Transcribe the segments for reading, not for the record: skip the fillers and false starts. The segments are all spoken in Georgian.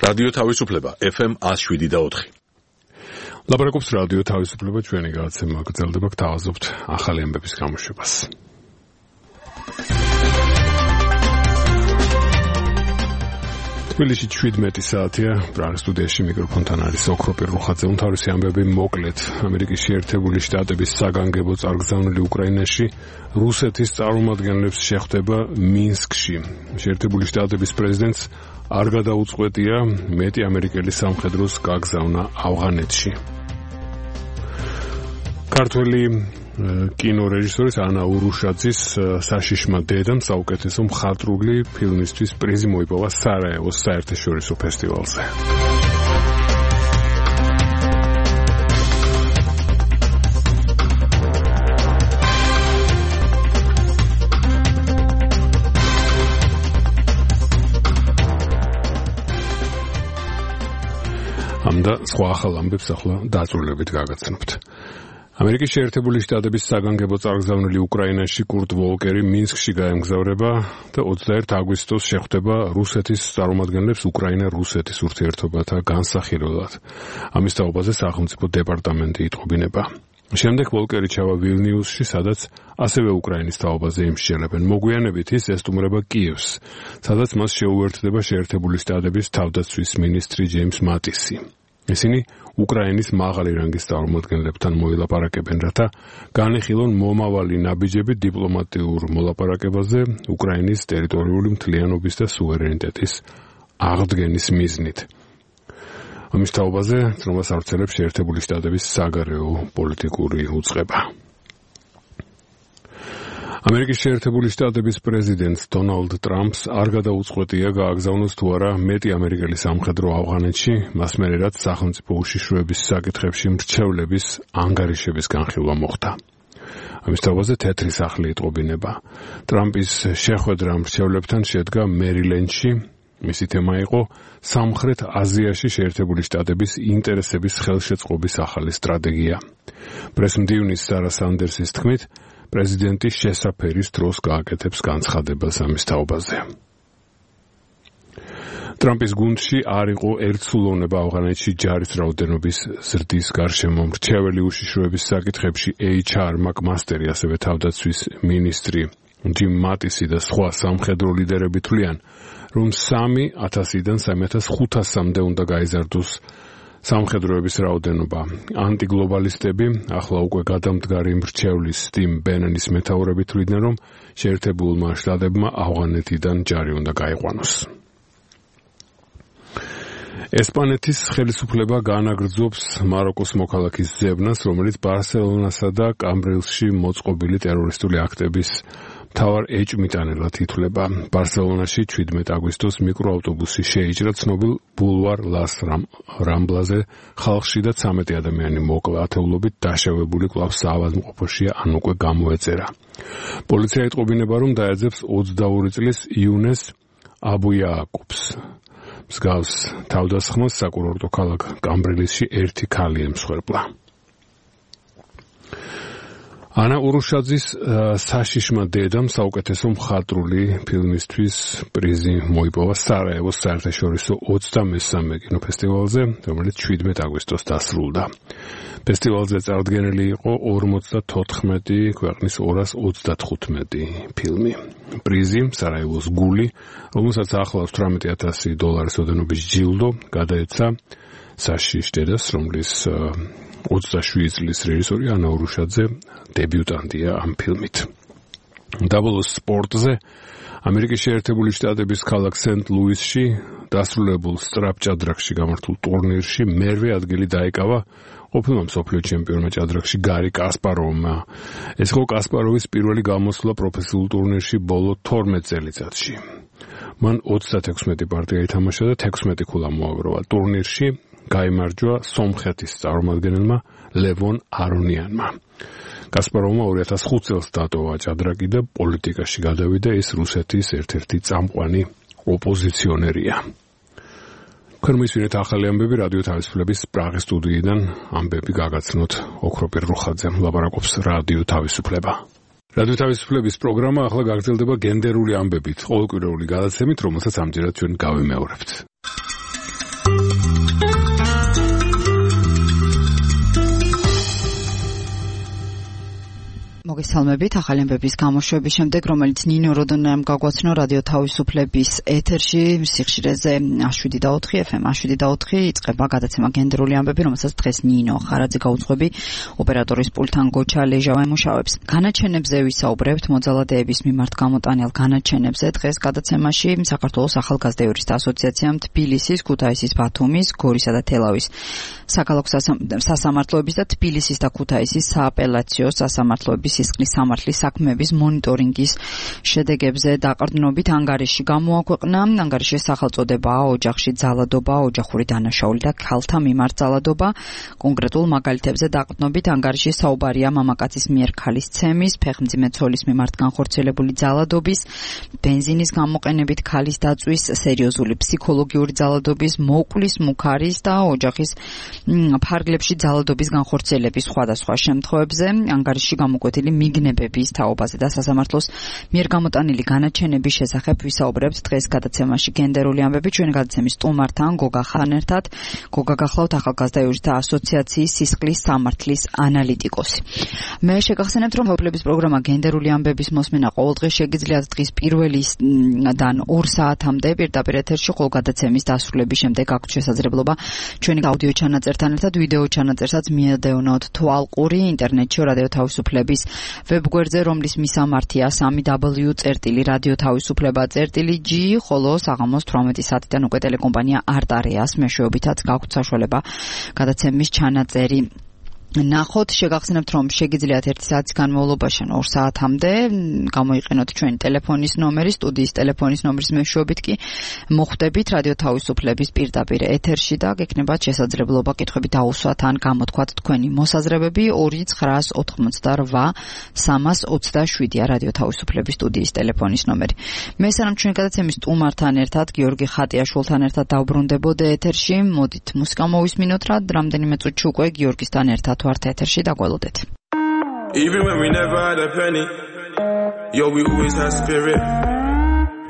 რადიო თავისუფლება FM 107.4. ლაპარაკობს რადიო თავისუფლება, ჩვენი გადაცემა გრძელდება, გთავაზობთ ახალი ამბების გამოშვებას. თბილისში 17 საათია, პრაღის სტუდიაში მიკროფონთან არის ოქროპირ რუხაძე. უმთავრესი ამბები მოკლედ. ამერიკის შეერთებული შტატების საგანგებო წარგზავნილი უკრაინაში რუსეთის წარმომადგენლებს შეხვდება მინსკში. შეერთებული შტატების პრეზიდენტს არ გადაუწყვეტია მეტი ამერიკელი სამხედროს გაგზავნა ავღანეთში. ქართველი კინორეჟისორის ანა ურუშაძის საშიშმა დედამ საუკეთესო მხატვრული ფილმისთვის პრიზი მოიპოვა სარაევოს საერთაშორისო ფესტივალზე. ამდა სხვა ახალ ამბებს ახლა დაწვრილებით გაგაცნობთ. ამერიკის შეერთებული შტატების საგანგებო წარგზავნილი უკრაინაში კურტ ვოლკერი მინსკში გაემგზავრება და 21 აგვისტოს შეხვდება რუსეთის წარმომადგენლებს უკრაინა-რუსეთის ურთიერთობათა განსახილველად. ამის თაობაზე სახელმწიფო დეპარტამენტი იტყობინება. შემდეგ ვოლკერი ჩავა ვილნიუსში, სადაც ასევე უკრაინის თაობაზე იმსჯელებენ. მოგვიანებით ის ესტუმრება კიევს, სადაც მას შეუერთდება შეერთებული შტატების თავდაცვის მინისტრი ჯეიმს მატისი. ისინი უკრაინის მაღალი რანგის წარმომადგენლებთან მოილაპარაკებენ, რათა განეხილონ მომავალი ნაბიჯები დიპლომატიურ მოლაპარაკებაზე უკრაინის ტერიტორიული მთლიანობის და სუვერენიტეტის აღდგენის მიზნით. ამის თაობაზე ცნობას ავრცელებს შეერთებული შტატების საგარეო პოლიტიკური უწყება. ამერიკის შეერთებული შტატების პრეზიდენტს დონალდ ტრამპს არ გადაუწყვეტია გააგზავნოს თუ არა მეტი ამერიკელი სამხედრო ავღანეთში, მას მერე რაც სახელმწიფო უშიშროების საკითხებში მრჩევლების ანგარიშების განხილვა მოხდა. ამის თაობაზე თეთრი სახლი იტყობინება. ტრამპის შეხვედრა მრჩევლებთან შედგა მერილენდში. მისი თემა იყო სამხრეთ აზიაში შეერთებული შტატების ინტერესების ხელშეწყობის ახალი სტრატეგია. პრესმდივნის სარა სანდერსის თქმით, პრეზიდენტი შესაფერის დროს გააკეთებს განცხადებას ამის თაობაზე. ტრამპის გუნდში არ იყო ერთსულოვნება ავღანეთში ჯარის რაოდენობის ზრდის გარშემო. მრჩეველი უშიშროების საკითხებში HR მაკმასტერი, ასევე თავდაცვის მინისტრი ჯიმ მატისი და სხვა სამხედრო ლიდერები თვლიან, რომ 3,000-დან 3,500-მდე უნდა გაიზარდოს სამხედროების რაოდენობა. ანტიგლობალისტები ახლა უკვე გადამდგარი მრჩევლის სტიმ ბენენის მეთაურები თვლიდნენ, რომ შეერთებულმა შტატებმა ავღანეთიდან ჯარი უნდა გაიყვანოს. ესპანეთის ხელისუფლება განაგრძობს მაროკოს მოქალაქის ზევნას, რომელიც ბარსელონასა და კამბრილში მოწყობილი ტერორისტული აქტების მთავარ ეჭვმიტანელად ითვლება. ბარსელონაში 17 აგვისტოს მიკროავტობუსი შეიჭრა ცნობილ ბულვარ ლას რამბლაზე, ხალხში და 13 ადამიანი მოკლა. ათეულობით დაშავებული კვლავ საავადმყოფოშია ან უკვე გამოეწერა. პოლიცია იტყობინება, რომ დაეძებს 22 წლის იუნეს აბუიააკუბს. მსგავს თავდასხმას საკურორტო ქალაქ კამბრილისში ერთი ქალი ემსხვერპლა. ანა ურუშაძის საშიშმა დედამ საუკეთესო მხატვრული ფილმისთვის პრიზი მოიპოვა სარაევოს საერთაშორისო 23-მე კინოფესტივალზე, რომელიც 17 აგვისტოს დასრულდა. ფესტივალზე წარდგენილი იყო 54 ქვეყნის 235 ფილმი. პრიზი სარაევოს გული, რომელსაც ახლავს $18,000 ოდენობის ჯილდო, გადაეცა საშიშ დედას, რომლის 27 წლის რეჟისორი ანა ურუშაძე დებიუტანტია ამ ფილმით. დაბოლოს სპორტზე ამერიკის შეერთებული შტატების ქალაქ სენტ-ლუისში დასრულებულ სწრაფჭადრაკში გამართულ ტურნირში მერვე ადგილი დაიკავა ყოფილმა მსოფლიო ჩემპიონმა ჭადრაკში გარი კასპაროვმა. ეს იყო კასპაროვის პირველი გამოსვლა პროფესიულ ტურნირში ბოლო 12 წელიწადში. მან 36 პარტია ითამაშა და 16 ქულა მოაგროვა. ტურნირში გაიმარჯვა სომხეთის წარმომადგენელმა ლევონ არონიანმა. კასპაროვმა 2005 წელს დატოვა ჭადრაკი და პოლიტიკაში გადავიდა. ის რუსეთის ერთ-ერთი წამყვანი ოპოზიციონერია. ქრმისვინეთ ახალი ამბები რადიო თავისუფლების პრაღის სტუდიიდან ამბები გაგაცნოთ ოქროპირ რუხაძემ. ლაპარაკობს რადიო თავისუფლება. რადიო თავისუფლების პროგრამა ახლა გაგრძელდება გენდერული ამბებით, ყოველკვირეული გადაცემით, რომელსაც ამჯერად ჩვენ გავიმეორებთ. მოგესალმებით ახალი ამბების გამოშვების შემდეგ, რომელიც ნინო როდონამ გაგვაცნო რადიო თავისუფლების ეთერში სიხშირეზე 7.4 FM 7.4 იწყება გადაცემა გენდერული ამბები, რომელსაც დღეს ნინო ხარაძე გაუძღვები ოპერატორის პულთან გოჩა ლეჟავა ემუშავებს. განაჩენებზე ვისაუბრებთ მოძალადეების მიმართ გამოტანილ განაჩენებზე. დღეს გადაცემაში საქართველოს ახალგაზრდა იურისტთა ასოციაციამ თბილისის, ქუთაისის, ბათუმის, გორისა და თელავის საქალაქო სასამართლოების და თბილისის და ქუთაისის სააპელაციო სასამართლოების სისხლის სამართლის საქმეების მონიტორინგის შედეგებზე დაყრდნობით ანგარიში გამოაქვეყნა. ანგარიშის სახელწოდებაა ოჯახში ძალადობა, ოჯახური დანაშაული და ქალთა მიმართ ძალადობა. კონკრეტულ მაგალითებზე დაყრდნობით ანგარიშის საუბარია მამაკაცის მიერ ქალის ცემის, ფეხმძიმე ცოლის მიმართ განხორციელებული ძალადობის, ბენზინის გამოყენებით ქალის დაწვის, სერიოზული ფსიქოლოგიური ძალადობის, მოკვლის, მუქარის და ოჯახის ფარგლებში ძალადობის განხორციელების სხვადასხვა შემთხვევებზე. ანგარიშში გამოკვეთილი მიგნებების თაობაზე და სასამართლოს მიერ გამოტანილი განაჩენების შესახებ ვისაუბრებთ დღეს გადაცემაში გენდერული ამბები. ჩვენი გადაცემის სტუმართან გოგა ხანერთად. გოგა გახლავთ ახალგაზრდა იურისტთა ასოციაციის სისხლის სამართლის ანალიტიკოსი. მე შეგახსენებთ, რომ თავისუფლების პროგრამა გენდერული ამბების მოსმენა ყოველდღე შეგიძლიათ დღის პირველიდან 2 საათამდე პირდაპირ ეთერში, ხოლო გადაცემის დასრულების შემდეგ აქვთ შესაძლებლობა ჩვენი აუდიო ჩანაწერთან ერთად ვიდეო ჩანაწერსაც მიადევნოთ თვალყური ინტერნეტში რადიო თავისუფლების ვებგვერდზე, რომლის მისამართია www.radiotavisufleba.g, ხოლო საღამოს 18 საათიდან უკვე ტელეკომპანია არტარეას მეშვეობითაც გაქვთ საშუალება გადაცემის ჩანაწერი ნახოთ. შეგახსენებთ, რომ შეგიძლიათ 1 საათის განმავლობაში 2 საათამდე გამოიყენოთ ჩვენი ტელეფონის ნომერი, სტუდიის ტელეფონის ნომრის მეშვეობით კი მოხვდებით რადიო თავისუფლების პირდაპირ ეთერში და გექნებათ შესაძლებლობა კითხვები დაუსვათ ან გამოთქვათ თქვენი მოსაზრებები. 298-327 რადიო თავისუფლების სტუდიის ტელეფონის ნომერი. მე სანამ ჩვენი გადაცემის სტუმართან ერთად გიორგი ხატიაშვილთან ერთად დავბრუნდებოდე ეთერში, მოდით მუსიკა მოვისმინოთ რა რამდენიმე წუთში უკვე გიორგისთან ერთად ვართ ეთერში დაგველოდეთ. Even when we never had a penny, yo, we always had spirit.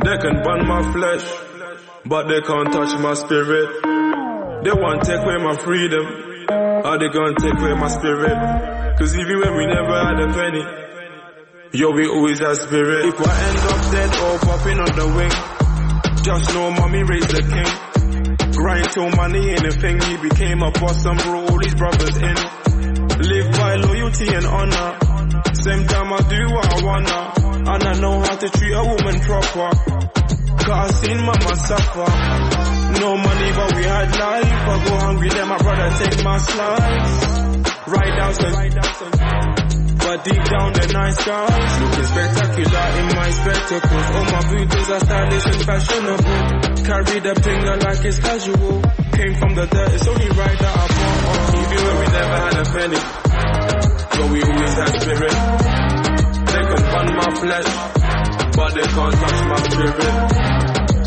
They can burn my flesh, but they can't touch my spirit. They want to take away my freedom, or they gonna take away my spirit. Cause even when we never had a penny, yo, we always had spirit. If I end up dead or popping on the wing, just know mommy raised the king. Grind till money ain't a thing, he became a boss and brought all his brothers in. Live by loyalty and honor. Same time I do what I wanna, and I know how to treat a woman proper. Cause I seen mama suffer. No money but we had life. I go hungry then my brother take my slice. Right down but deep down they're nice guys. Looking spectacular in my spectacles. All my booties are stylish and fashionable. Carry the finger like it's casual. Came from the dirt, it's only right that I bought on. Even when we never had a penny, but we always had spirit. They can burn my flesh, but they can't touch my spirit.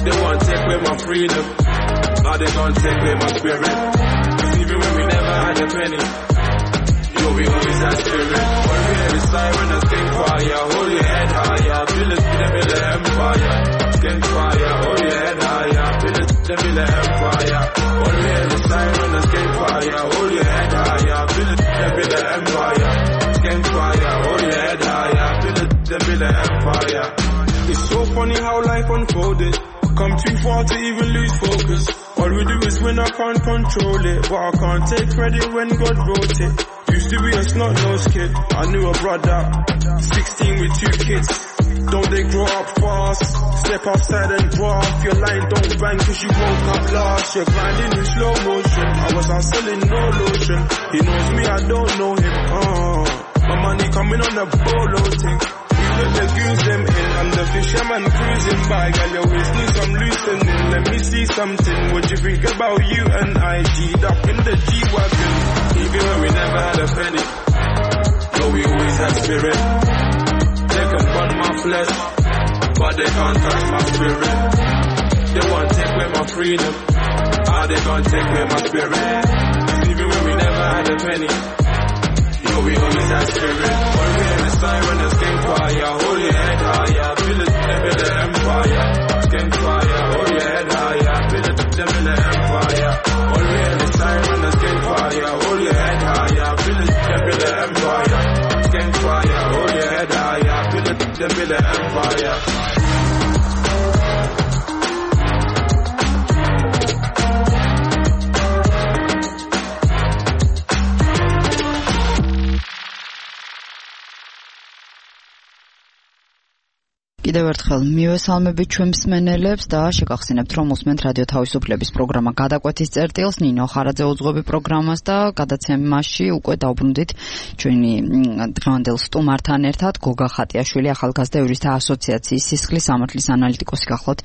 They want to take away my freedom, now they can't take away my spirit. Even when we never had a penny, yo, we always had spirit. When we hear the siren, a skin fire, hold your head higher, feel it, feel the empire. Skin fire, hold your head higher, feel it, feel the empire. When we hear the siren, a skin fire, hold your head higher, feel it, feel the empire. Skin fire, hold your head higher, feel it, feel the empire. It's so funny how life unfolded. Come too far to even lose focus. All we do is win, I can't control it, but I can't take credit when God wrote it. Used to be a snot-nosed kid, I knew a brother, 16 with 2 kids. Don't they grow up fast? Step outside and draw off your line, don't bang cause you woke up last. You're grinding in slow motion, I was out selling no lotion. He knows me, I don't know him, my money coming on a bolo thing. Let the goons them in, I'm the fisherman cruising by. Girl, you always need some loosening, let me see something. What you think about you and I? G'd up in the G-Wagon. Even when we never had a penny, but we always had spirit. They can burn my flesh, but they can't touch my spirit. They want to take away my freedom, or they can't take away my spirit. Even when we never had a penny, yo, we always had spirit. When we hear the siren, the skin fire, hold your head higher, feel it, feel the empire. Skin fire, hold your head higher, feel it, feel the empire. When we hear the siren, the skin fire, hold your head higher, feel it, feel the empire. Skin fire, hold your them build an empire. კიდევ ერთხელ მივესალმებით ჩვენ მსმენელებს და შეგახსენებთ რომ უსმენთ რადიო თავისუფლების პროგრამა გადაკვეთის წერტილს ნინო ხარაძე უძღვები პროგრამას და გადაცემაში უკვე დავბრუნდით ჩვენი დღევანდელ სტუმართან ერთად გოგა ხატიაშვილი ახალგაზრდა იურისტთა ასოციაციის სისხლის სამართლის ანალიტიკოსი გახლავთ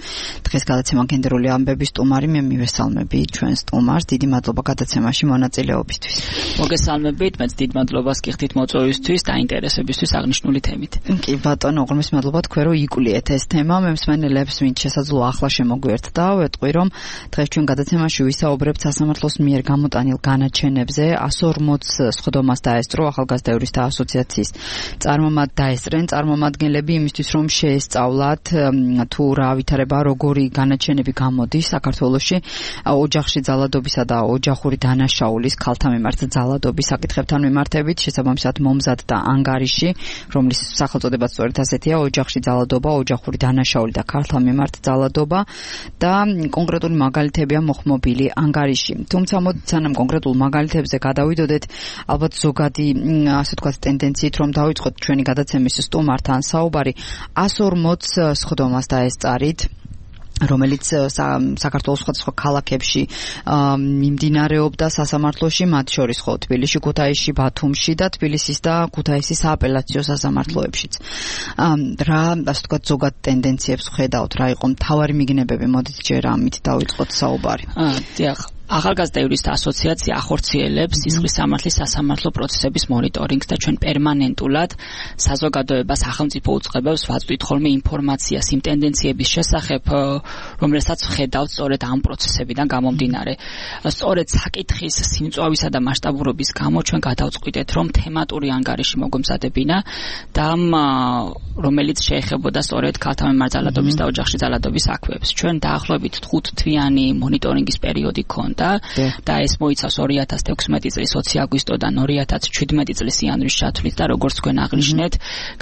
დღეს გადაცემა გენდერული ამბების სტუმარი მე მივესალმები ჩვენ სტუმარს დიდი მადლობა გადაცემაში მონაწილეობისთვის მოგესალმებით მეც დიდ მადლობას გიხდით მოწვევისთვის და ინტერესებისთვის აღნიშნული თემით კი ბატონო უღრმეს მადლობა თქვენ რომ იკულიეთ ეს თემა მე მსმენელებს ვინც შესაძლოა ახლა შემოგვიერთდა ვეტყვი რომ დღეს ჩვენ გადაცემაში ვისაუბრებთ სასამართლოს მიერ გამოტანილ განაჩენებზე 140 სხდომას დაესწრო ახალგაზრდა იურისტთა ასოციაციის წარმომადგენლები იმისთვის რომ შეესწავლათ თუ რა ვითარება როგორი განაჩენები გამოდის საქართველოში ოჯახში ძალადობისა და ოჯახური დანაშაულის ქალთა მიმართ ძალადობის საკითხებთან მიმართებით შესაბამისად მომზად და ანგარიში რომლის სახელწოდებაც სწორედ ასეთია ოჯახში ძალადობა ოჯახური დანაშაული და ქალთა მიმართ ძალადობა და კონკრეტული მაგალითებია მოხმობილი ანგარიში. თუმცა სანამ კონკრეტულ მაგალითებზე გადავიდოდეთ, ალბათ ზოგადი ასე ვთქვათ ტენდენციით რომ დავიწყოთ ჩვენი გადაცემის სტუმართან საუბარი 140 სხდომას დაესწარით რომელიც საქართველოს სხვადასხვა ქალაქებში მიმდინარეობდა სასამართლოში, მათ შორის ხო თბილისში, ქუთაისში, ბათუმში და თბილისის და ქუთაისის სააპელაციო სასამართლოებშიც. რა ასე ვთქვათ ზოგად ტენდენციებს ხედავთ, რა იყო მთავარი მიგნებები, მოდით ჯერ ამით დავიწყოთ საუბარი. დიახ. ახალგაზრდა იურისტთა ასოციაცია ახორციელებს სისხლის სამართლის სასამართლო პროცესების მონიტორინგს და ჩვენ პერმანენტულად საზოგადოებას სახელმწიფო უწყებებს ვაწვდით ხოლმე ინფორმაციას იმ ტენდენციების შესახებ, რომელსაც ვხედავთ სწორედ ამ პროცესებიდან გამომდინარე. სწორედ საკითხის სიმწვავისა და მასშტაბურობის გამო ჩვენ გადავწყვიტეთ, რომ თემატური ანგარიში მოგვემზადებინა და რომელიც შეეხებოდა სწორედ ქალთა მიმართ ძალადობის და ოჯახში ძალადობის საქმეებს. ჩვენ დაახლოებით 5 თვიანი მონიტორინგის პერიოდი გქონდა და ეს მოიცავს 2016 წლის 20 აგვისტოდან 2017 წლის იანვრის ჩათვლით და როგორც თქვენ აღნიშნეთ,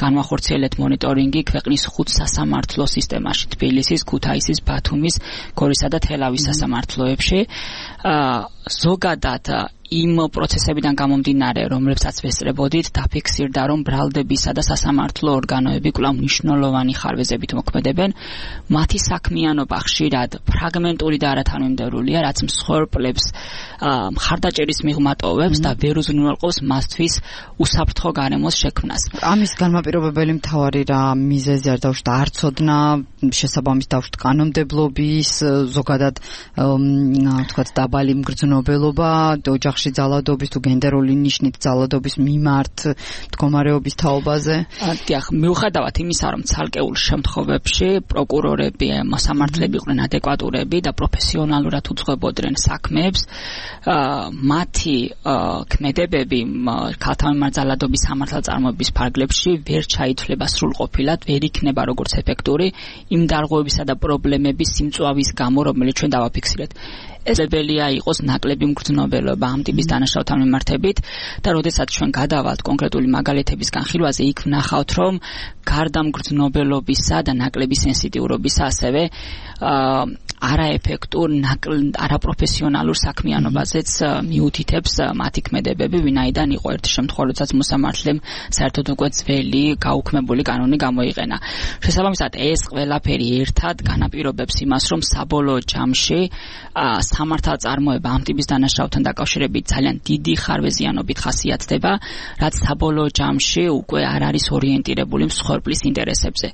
განვახორციელეთ მონიტორინგი ქვეყნის 5 სასამართლო სისტემაში: თბილისის, ქუთაისის, ბათუმის, გორისა და თელავის სასამართლოებში. ზოგადად იმ პროცესებიდან გამომდინარე, რომლებსაც ვესწრებოდით, დაფიქსირდა, რომ ბრალდებისა და სასამართლო ორგანოები კვლავ მნიშვნელოვანი ხარვეზებით მოქმედებენ. მათი საქმიანობა ხშირად ფრაგმენტური და არათანმიმდევრულია, რაც მსხვერპლებს მხარდაჭერის მიღმა ტოვებს და ვერ უზრუნველყოფს მასთვის უსაფრთხო გარემოს შექმნას. ამის განმაპირობებელი მთავარი რა მიზეზი არ დავუშვით, არ ცოდნა შესაბამის დავუშვით კანონმდებლობის, ზოგადად თქვათ დაბალი მგრძნობელობა, ოჯახში ძალადობის თუ გენდერული ნიშნით ძალადობის მიმართ მდგომარეობის თაობაზე. დიახ, მიუხედავად იმისა, რომ ცალკეულ შემთხვევებში პროკურორები, მოსამართლეები იყვნენ ადეკვატურები და პროფესიონალურად უძღვებოდნენ საქმეებს, მათი ქმედებები ქალთა მიმართ ძალადობის სამართალწარმოების ფარგლებში ვერ ჩაითვლება სრულყოფილად, ვერ იქნება როგორც ეფექტური იმ დარღვევებისა და პრობლემების სიმწვავის გამო, რომელიც ჩვენ დავაფიქსირეთ. ესებელია იყოს ნაკლები მგრძნობელობა ამ ტიპის დანაშაულთან მიმართებით და როდესაც ჩვენ გადავალთ კონკრეტული მაგალითების განხილვაზე, იქ ვნახავთ, რომ გარდა მგრძნობელობისა და ნაკლები სენსიტიურობისა ასევე არაეფექტურ, არაპროფესიონალურ საქმიანობაზეც მიუთითებს მათი ქმედებები, ვინაიდან იყო ერთი შემთხვევა, როდესაც მოსამართლემ საერთოდ უკვე ძველი გაუქმებული კანონი გამოიყენა. შესაბამისად, ეს ყველაფერი ერთად განაპირობებს იმას, რომ საბოლოო ჯამში სამართალწარმოება ამ ტიპის დანაშაულთან დაკავშირებით ძალიან დიდი ხარვეზიანობით ხასიათდება, რაც საბოლოო ჯამში უკვე არ არის ორიენტირებული მსხვერპლის ინტერესებზე.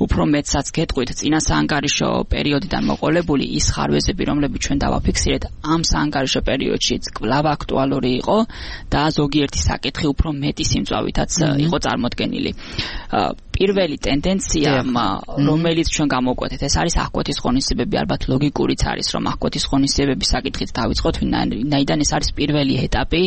უფრო მეტსაც გეტყვით, წინა საანგარიშო პერიოდიდან მოყოლებული ის ხარვეზები, რომლებიც ჩვენ დავაფიქსირეთ, ამ საანგარიშო პერიოდშიც კვლავ აქტუალური იყო და ზოგიერთი საკითხი უფრო მეტი სიმწვავითაც იყო წარმოდგენილი. პირველი ტენდენცია, რომელიც ჩვენ გამოვკვეთეთ, ეს არის აღკვეთის ღონისძიებები, ალბათ ლოგიკურიც არის, რომ აღკვეთის ღონისძიებები განათლებების საკითხით დავიწყოთ, ვინაიდან ეს არის პირველი ეტაპი,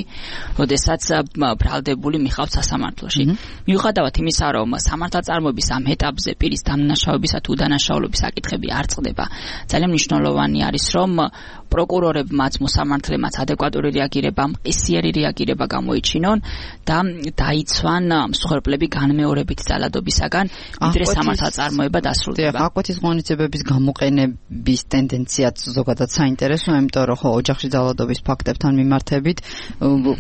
როდესაც ბრალდებული მიხავთ სასამართლოში. მიუხედავად იმისა, რომ სამართალწარმოების ამ ეტაპზე პირის დამნაშავებისა თუ უდანაშაულობის საკითხები არ წყდება, ძალიან მნიშვნელოვანი არის, რომ პროკურორებმაც მოსამართლემაც ადეკვატური რეაგირება, მყისიერი რეაგირება გამოიჩინონ და დაიცვან მსხვერპლები განმეორებით ძალადობისაგან, ვიდრე სამართალწარმოება დასრულდება. აკვეთის ღონისძიებების გამოყენების ტენდენციაც ზოგადად საინტერესოა, იმიტომ რომ ხო ოჯახში ძალადობის ფაქტებთან მიმართებით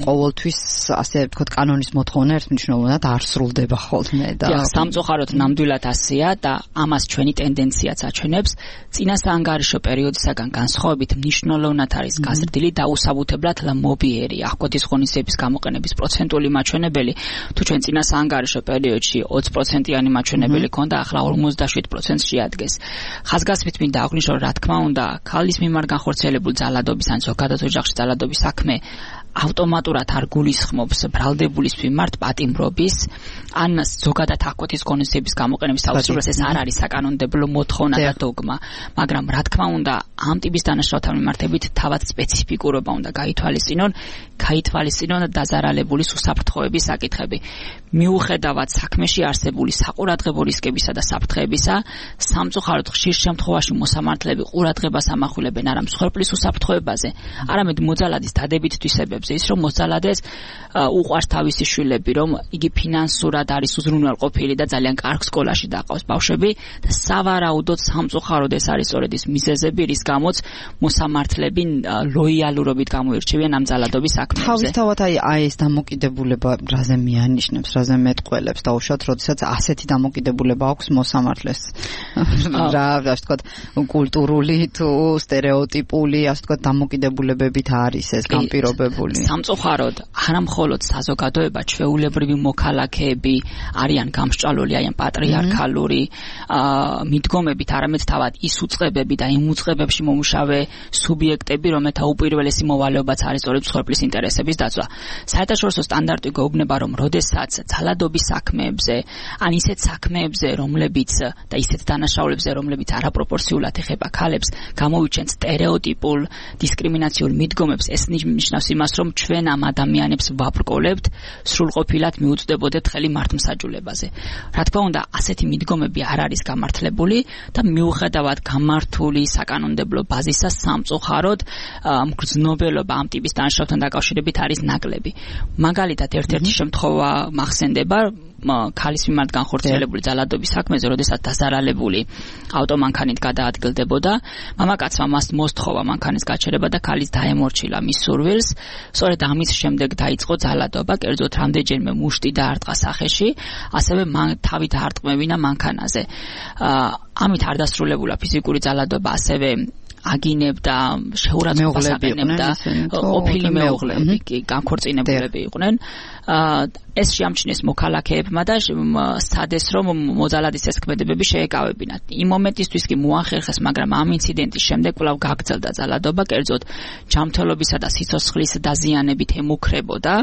ყოველთვის ასე ვთქვათ კანონის მოთხოვნა ერთმნიშვნელოვნად არ სრულდება ხოლმე და სამწუხაროდ ნამდვილად ასეა და ამას ჩვენი ტენდენციაც აჩვენებს. წინა საანგარიშო პერიოდისაგან განსხვავებით მნიშვნელოვნად არის გაზრდილი და უსაბუთებლად მობიერი აკვეთის ღონისძიების გამოყენების პროცენტული მაჩვენებელი. თუ ჩვენ წინა საანგარიშო პერიოდში 20%-იანი მაჩვენებელი ქონდა, ახლა 57%-ს შეადგენს. ხაზგასმით მინდა აღვნიშნო, რა თქმა უნდა, ქალის მიმართ განხორციელებული ძალადობის ან ზოგადად ოჯახში ძალადობის საქმე ავტომატურად არ გულისხმობს ბრალდებულის მიმართ პატიმრობის ან ზოგადად აკვეთის ღონისძიების გამოყენების აუცილებლობას. ეს არ არის საკანონმდებლო მოთხოვნა და დოგმა, მაგრამ რა თქმა უნდა, ამ ტიპის დანაშაულთან მიმართებით თავად სპეციფიკურობა უნდა გაითვალისწინონ დაზარალებული უსაფრთხოების საკითხები. მიუხედავად საქმეში არსებული საყურადღებო რისკებისა და საფრთხეებისა, სამწუხაროდ ხშირ შემთხვევაში მოსამართლეები ყურადღებას ამახვილებენ არა მსხვერპლის უსაფრთხოებაზე, არამედ მოძალადის დადებით თვისებებზე. ის რომ მოძალადეს უყვარს თავისი შვილები, რომ იგი ფინანსურად არის უზრუნველყოფილი და ძალიან კარგ სკოლაში დაყავს ბავშვები და სავარაუდოდ სამწუხაროდ ეს არის სწორედ ის მიზეზები, რის გამოც მოსამართლეები ლოიალურობით გამოირჩევიან ამ ძალადობის საქმეებზე. თავისთავად აი ეს დამოკიდებულება რაზე მიანიშნებს, რაზე მეტყველებს და უშუალოდ როდესაც ასეთი დამოკიდებულება აქვს მოსამართლეს. რა ვთქვათ, კულტურული თუ სტერეოტიპული, ასე ვთქვათ, დამოკიდებულებებით არის ეს განპირობებული. სამწუხაროდ არა მხოლოდ საზოგადოება, ჩვეულებრივი მოქალაქეები არიან გამსჭვალული აი ამ პატრიარქალური მიდგომებით, არამედ თავად ის უწყებები და იმ უწყებებში მომუშავე სუბიექტები, რომელთა უპირველესი მოვალეობაც არის სწორედ მსხვერპლის ინტერესების დაცვა. საერთაშორისო სტანდარტი გვეუბნება, რომ როდესაც ძალადობის საქმეებზე, ან ისეთ საქმეებზე, რომლებიც და ისეთ დანაშაულებზე, რომლებიც არაპროპორციულად ეხება ქალებს, გამოვიჩენთ სტერეოტიპულ დისკრიმინაციულ მიდგომებს, ეს ნიშნავს იმას, რომ ჩვენ ამ ადამიანებს ვაბრკოლებთ, სრულყოფილად მიუწვდებოდეთ ხელი მართლმსაჯულებაზე. რა თქმა უნდა, ასეთი მიდგომები არ არის გამართლებული და მიუხედავად გამართული საკანონმდებლო ბაზისა, სამწუხაროდ მგრძნობელობა ამ ტიპის დანაშაულთან დაკავშირებით არის ნაკლები. მაგალითად, ერთ-ერთი შემთხვევა მახსენდება, ქალის მიმართ განხორციელებული ძალადობის საქმეზე, როდესაც დაზარალებული ავტომანქანით გადაადგილდებოდა, მამაკაცმა მას მოსთხოვა მანქანის გაჩერება და ქალის დაემორჩილა მის სურვილს. სწორედ ამის შემდეგ დაიწყო ძალადობა, კერძოდ რამდენჯერმე მუშტი დაარტყა სახეში, ასევე თავი დაარტყმევინა მანქანაზე. ამით არ დასრულებულა ფიზიკური ძალადობა, ასევე აგინებდა, შეურაცხყოფას აყენებდა, ყოფილი მეუღლეები კი განქორწინებულები იყვნენ. ეს შეამჩნიეს მოქალაქეებმა და სცადეს, რომ მოძალადის ეს ქმედებები შეეკავებინათ. იმ მომენტისთვის კი მოახერხეს, მაგრამ ამ ინციდენტის შემდეგ კვლავ გაგრძელდა ძალადობა, კერძოდ ჯანმრთელობისა და სიცოცხლის დაზიანებით ემუქრებოდა.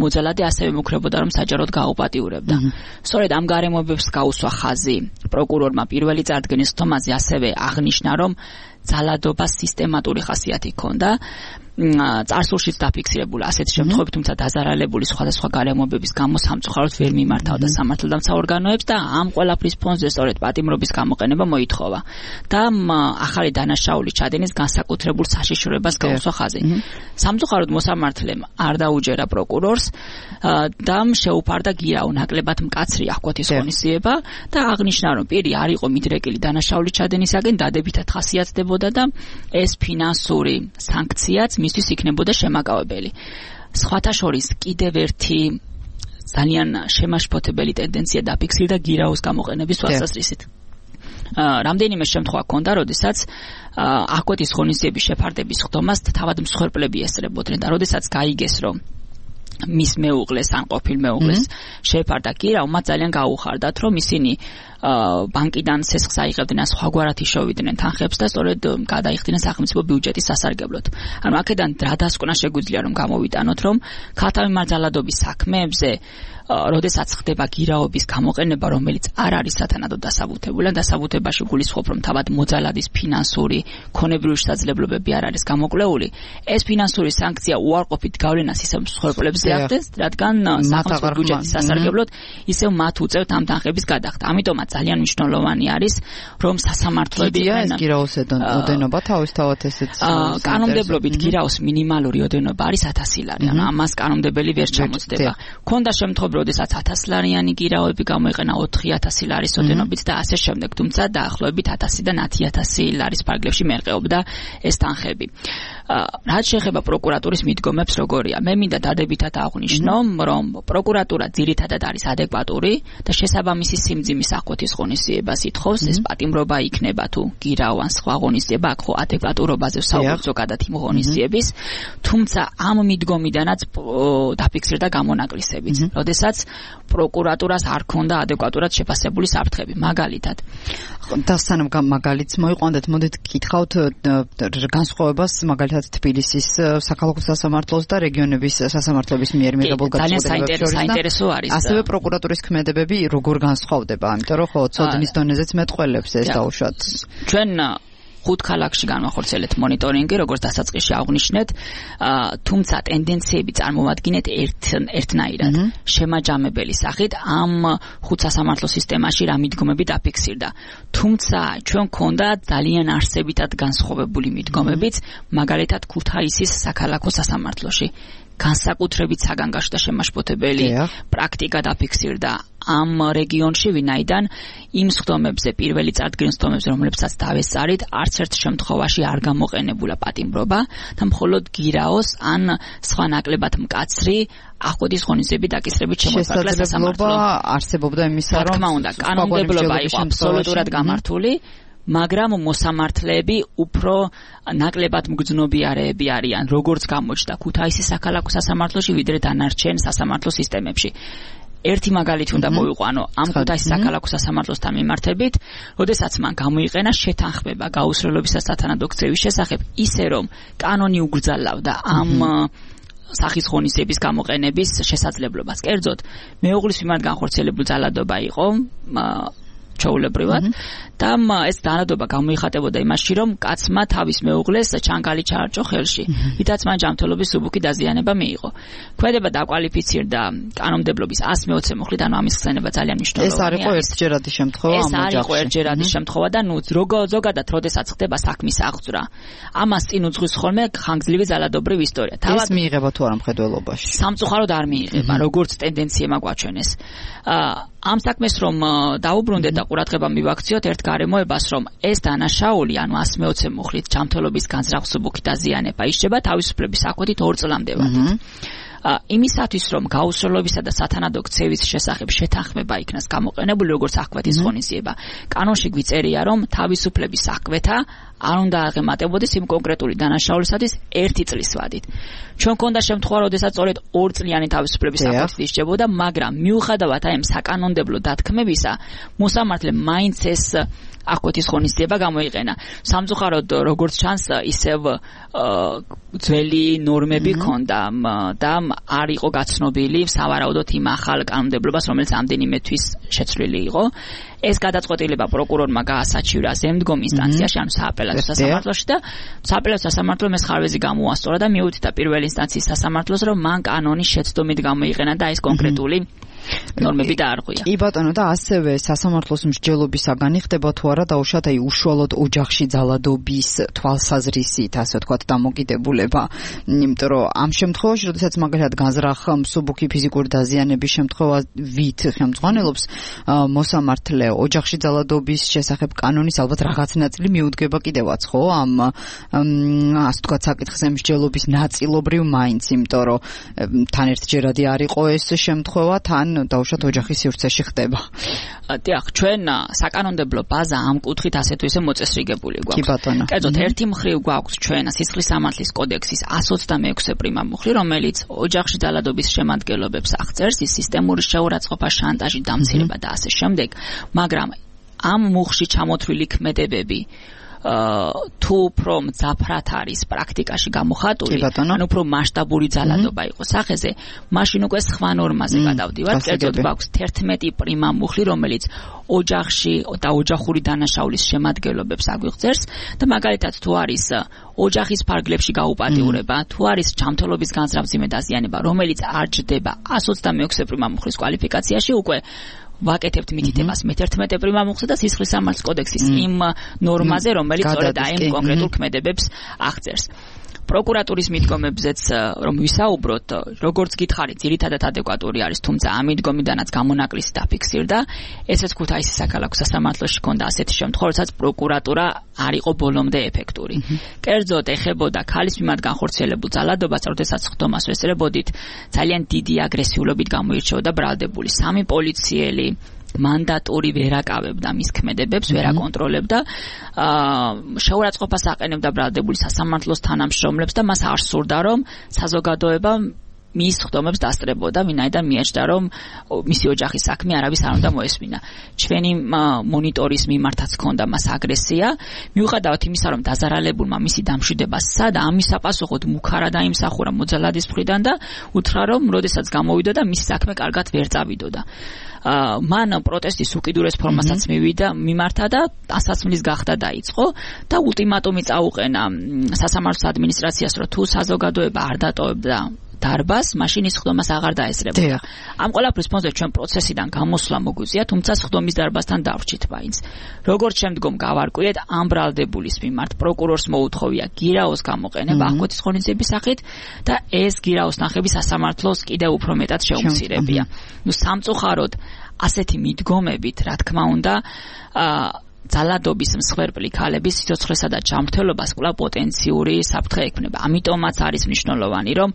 მოძალადი ასევე ემუქრებოდა, რომ საჯაროდ გაუპატიურებდა. სწორედ ამ გარემოებებს გაუსვა ხაზი პროკურორმა პირველი წარდგენის ხტომაზე, ასევე აღნიშნა, რომ ძალადობა სისტემატური ხასიათი ჰქონდა. წარსულშიც დაფიქსირებულა ასეთი შემთხვევები, თუმცა დაზარალებული სხვადასხვა გარემოებების გამო სამწუხაროდ ვერ მიმართავდა სამართალდამცა ორგანოებს და ამ ყველაფრის ფონზე სწორედ პატიმრობის გამოყენება მოითხოვა და ახალი დანაშაულის ჩადენის განსაკუთრებულ საშიშროებას გაუსვა ხაზი. სამწუხაროდ მოსამართლემ არ დაუჯერა პროკურორს და შეუფარდა გირაო ნაკლებად მკაცრი აკვეთის ღონისძიება და აღნიშნა, რომ პირი არ იყო მიდრეკილი დანაშაულის ჩადენისაგან, დადებითად ხასიათდებოდა და ეს ფინანსური სანქციაც მისთვის იქნებოდა შემაკავებელი. სხვათა შორის კიდევ ერთი ძალიან შემაშფოთებელი ტენდენცია დაფიქსირდა გირაოს გამოყენების თვალსაზრისით. რამდენიმე შემთხვევა ჰქონდა, როდესაც აკვეთის ღონისძიების შეფარდების ხდომას თავად მსხვერპლები ესწრებოდნენ და როდესაც გაიგეს, რომ მის მეუღლეს ან ყოფილ მეუღლეს შეეფარდა გირავ, მათ ძალიან გაუხარდათ, რომ ისინი ბანკიდან სესხს აიღებდნენ, სხვაგვარად იშოვიდნენ თანხებს და სწორედ გადაიხდნენ სახელმწიფო ბიუჯეტის სასარგებლოდ. ანუ აქედან რა დასკვნა შეგვიძლია რომ გამოვიტანოთ, რომ ქალთამემარძალადობის საქმეებზე როდესაც ხდება გირაობის გამოყენება, რომელიც არ არის სათანადო დასაბუთებული, დასაბუთებაში გულისხმობ, რომ თავად მოძალადის ფინანსური, ქონებრივი შესაძლებლობები არ არის გამოკვლეული, ეს ფინანსური სანქცია უარყოფით გავლენას ისევ მსხვერპლებზე ახდენს, რადგან სახელმწიფო ბიუჯეტის სასარგებლოდ ისევ მათ უწევთ ამ თანხების გადახდა. ამიტომაც ძალიან მნიშვნელოვანი არის, რომ სასამართლოები ეს გირაოს ოდენობა თავისთავად ესეც კანონმდებლობით გირაოს მინიმალური ოდენობა არის 1000 ლარი, ანუ ამას კანონმდებელი ვერ ჩამოწდება. ქონდა შემთხვევა როდესაც 1000 ლარიანი გირაოები გამოიყენა 4000 ლარის ოდენობით და ასე შემდეგ, თუმცა დაახლოებით 1000-დან 10000 ლარის ფარგლებში მერყეობდა ეს თანხები. რაც შეეხება პროკურატურის მიდგომებს, როგორია? მე მინდა დადებითად აღვნიშნო, რომ პროკურატურა ძირითადად არის ადეკვატური და შესაბამისი სიმძიმის აღკვეთის ღონისძიებას ითხოვს, ეს პატიმრობა იქნება თუ გირაო ან სხვა ღონისძიება, აქ ხო ადეკვატურობაზე ვსაუბრობ ზოგადად იმ ღონისძიების, თუმცა ამ მიდგომიდანაც დაფიქსირდა გამონაკლისებიც. როდესაც პროკურატურას არ ქონდა ადეკვატურად შეფასებული საფრთხები, მაგალითად. და სანამ მაგალითს მოიყვანდეთ, მოდით გითხავთ განსხვავებას მაგალითად თბილისის საქალაქო სასამართლოს და რეგიონების სასამართლოების მიერ მიღებულ გადაწყვეტილებებს შორის. საინტერესო არის. ასევე პროკურატურის ქმედებები როგორ განსხვავდება, ამიტომ რომ ხო ცოდნის დონეზეც მეტყველებს ეს დაუშვათ. ჩვენ 5 ქალაქში განვახორციელებთ მონიტორინგი, როგორც დასაწყისში აღვნიშნეთ, თუმცა ტენდენციები წარმოვადგინეთ ერთნაირად. შემაჯამებელი სახით ამ 5 სასამართლო სისტემაში რა მიდგომები დაფიქსირდა. თუმცა ჩვენ გქონდა ძალიან არსებითად განსხვავებული მიდგომებიც, მაგალითად ქუთაისის საქალაქო სასამართლოში. განსაკუთრებით საგანგაშო და შემაშფოთებელი პრაქტიკა დაფიქსირდა ამ რეგიონში, ვინაიდან იმ სხდომებზე, პირველი წარდგენის სხდომებზე, რომლებსაც დავესწარით, არც ერთ შემთხვევაში არ გამოყენებულა პატიმრობა და მხოლოდ გირაოს ან სხვა ნაკლებად მკაცრი აღკვეთის ღონისძიების დაკისრებით შემოიფარგლა სასამართლო. არსებობდა იმისა, რომ თქმა უნდა, კანონმდებლობა იყო აბსოლუტურად გამართული, მაგრამ მოსამართლეები უფრო ნაკლებად მგრძნობიარეები არიან, როგორც გამოჩნდა ქუთაისის საქალაქო სასამართლოში, ვიდრე დანარჩენ სასამართლო სისტემებში. ერთი მაგალითი უნდა მოვიყვანო ამ ქუთაისის საქალაქო სასამართლოსთან მიმართებით, როდესაც მან გამოიყენა შეთანხმება გაუსრელობისა სათანადო ქცევის შესახებ, ისე რომ კანონი უგრძალავდა ამ სახის ღონისძიების გამოყენების შესაძლებლობას. კერძოდ, მეუღლის მიმართ განხორციელებული ძალადობა იყო ჩაულებრივად და ეს ძალადობა გამოიხატებოდა იმაში, რომ კაცმა თავის მეუღლეს ჩანგალი ჩაარჭო ხელში, რითაც მან ჯანმრთელობის მსუბუქი დაზიანება მიიღო. ქმედება დაკვალიფიცირდა კანონმდებლობის 120 მუხლით, ანუ ამის ხსენება ძალიან მნიშვნელოვანია. ეს არ იყო ერთჯერადი შემთხვევა ამ ოჯახში. ეს არ იყო ერთჯერადი შემთხვევა და ნუ ზოგადად როდესაც ხდება საქმის აღძვრა, ამას წინ უძღვის ხოლმე ხანგრძლივი ძალადობრივი ისტორია. ეს მიიღება თუ არა მხედველობაში? სამწუხაროდ არ მიიღება, როგორც ტენდენცია გვაჩვენეს. ამ საქმეს რომ დაუბრუნდეთ და ყურადღება მივაქციოთ ერთ გარემოებას, რომ ეს დანაშაული, ანუ 120 მუხლით ჯანმრთელობის განზრახ მსუბუქი დაზიანება ისჯება თავისუფლების საკვეთით 2 წლამდე. იმისათვის, რომ გაუსროლობისა და სათანადო ქცევის შესახებ შეთანხმება იქნას გამოყენებული, როგორც აღკვეთის ღონისძიება, კანონში გვიწერია, რომ თავისუფლების საკვეთა არ უნდა აღემატებოდეს იმ კონკრეტული დანაშაულისათვის 1 წლის ვადით. ჩვენ გქონდა შემთხვევა, როდესაც სწორედ 2 წლიანი თავისუფლების საკვეთით ისჯებოდა, მაგრამ მიუხედავად ამ საკანონმდებლო დათქმებისა, მოსამართლემ მაინც ეს აღკვეთის ღონისძიება გამოიყენა. სამწუხაროდ, როგორც ჩანს, ისევ ძველი ნორმები ჰქონდა და არ იყო გაცნობილი სავარაუდოდ იმ ახალ კანონმდებლობას, რომელიც ამდენიმე თვის შეცვლილი იყო. ეს გადაწყვეტილება პროკურორმა გაასაჩივრა ზემდგომ ინსტანციაში, ანუ სააპელაციო სასამართლოში და სააპელაციო სასამართლომ ეს ხარვეზი გამოასწორა და მიუთითა პირველ ინსტანციის სასამართლოს, რომ მან კანონის შეცდომით გამოიყენა და ეს კონკრეტული ნორმები დაარღვია. კი ბატონო, და ასევე სასამართლოს მსჯელობისაგან ხდება თუ არა დაუშვათ აი უშუალოდ ოჯახში ძალადობის თვალსაზრისით, ასე ვთქვათ, დამოკიდებულება. იმიტომ რომ ამ შემთხვევაში, როდესაც მაგალითად განზრახ მსუბუქი ფიზიკური დაზიანების შემთხვევით ხელმძღვანელობს მოსამართლე ოჯახში ძალადობის შესახებ კანონის ალბათ რაღაც ნაწილი მიუდგება კიდევაც, ხო? ამ ასე ვთქვათ, საკითხზე მსჯელობის ნაწილობრივ მაინც, იმიტომ რომ თან ერთჯერადი არ იყო ეს შემთხვევა, თან დაუშვათ ოჯახის სივრცეში ხდება. დიახ, ჩვენ საკანონმდებლო ბაზა ამ კუთხით ასე თუ ისე მოწესრიგებული გვაქვს. კი ბატონო. კერძოდ ერთი მხრივ გვაქვს ჩვენ სისხლის სამართლის კოდექსის 126 პრიმა მუხლი, რომელიც ოჯახში ძალადობის შემადგენლობებს აღწერს, ის სისტემური შეურაცხყოფა, შანტაჟი, დამცირება და ასე შემდეგ, მაგრამ ამ მუხლში ჩამოთვლილი ქმედებები თუ უფრო მძაფრად არის პრაქტიკაში გამოხატული, ან უფრო მასშტაბური ძალადობა იყოს სახეზე, მაშინ უკვე სხვა ნორმაზე გადავდივართ. კერძოდ გვაქვს 11 პრიმა მუხლი, რომელიც ოჯახში და ოჯახური დანაშაულის შემადგენლობებს აგვიღწევს და მაგალითად თუ არის ოჯახის ფარგლებში გაუპატიურება, თუ არის ჯანმრთელობის განზრახ-მძიმე დაზიანება, რომელიც არ ჯდება 126 პრიმა მუხლის კვალიფიკაციაში, უკვე ვაკეთებთ მითითებას მე-11 პრიმა მუხლზე და სისხლის სამართლის კოდექსის იმ ნორმაზე, რომელიც სწორედ აი ამ კონკრეტულ ქმედებებს აღწერს. პროკურატურის მიდგომებზეც რომ ვისაუბროთ, როგორც გითხარით, ძირითადად ადეკვატური არის, თუმცა ამ მიდგომიდანაც გამონაკლისი დაფიქსირდა. ესეც ქუთაისის საქალაქო სასამართლოში ჰქონდა ასეთი შემთხვევა, როდესაც პროკურატურა არ იყო ბოლომდე ეფექტური. კერძოდ ეხებოდა ქალის მიმართ განხორციელებულ ძალადობას, როდესაც ხდომას ვესწრებოდით, ძალიან დიდი აგრესიულობით გამოირჩეოდა ბრალდებული. 3 პოლიციელი მანდატური ვერ აკავებდა მის ქმედებებს, ვერ აკონტროლებდა, შეურაცხყოფას აყენებდა ბრალდებული სასამართლოს თანამშრომლებს და მას არ სურდა, რომ საზოგადოება მის ხდომებს დასწრებოდა, ვინაიდან მიაჩნდა, რომ მისი ოჯახის საქმე არავის არ უნდა მოესმინა. ჩვენი მონიტორის მიმართაც ჰქონდა მას აგრესია, მიუხედავად იმისა, რომ დაზარალებულმა მისი დამშვიდება სცადა, ამის საპასუხოდ მუქარა დაიმსახურა მოძალადის მხრიდან და უთხრა, რომ როდესაც გამოვიდოდა, მისი საქმე კარგად ვერ წავიდოდა. მან პროტესტის უკიდურეს ფორმასაც მიმართა და ასაცმლის გახდა დაიწყო და ულტიმატუმი წაუყენა სასამართლოს ადმინისტრაციას, რომ თუ საზოგადოება არ დატოვებდა დარბას, მაშინ ის ხდომას აღარ დაესწრებოდა. ამ ყველაფრის ფონზე ჩვენ პროცესიდან გამოსვლა მოგვიწია, თუმცა ხდომის დარბასთან დავრჩით მაინც. როგორც შემდგომ გავარკვიეთ, ამ ბრალდებულის მიმართ პროკურორს მოუთხოვია გირაოს გამოყენება აღკვეთის ღონისძიების სახით და ეს გირაოს ნახები სასამართლოს კიდევ უფრო მეტად შეუმცირებია. სამწუხაროდ ასეთი მიდგომებით, რა თქმა უნდა, ძალადობის მსხვერპლი ქალების სიცოცხლესა და ჯანმრთელობას კვლავ პოტენციური საფრთხე ექმნება. ამიტომაც არის მნიშვნელოვანი, რომ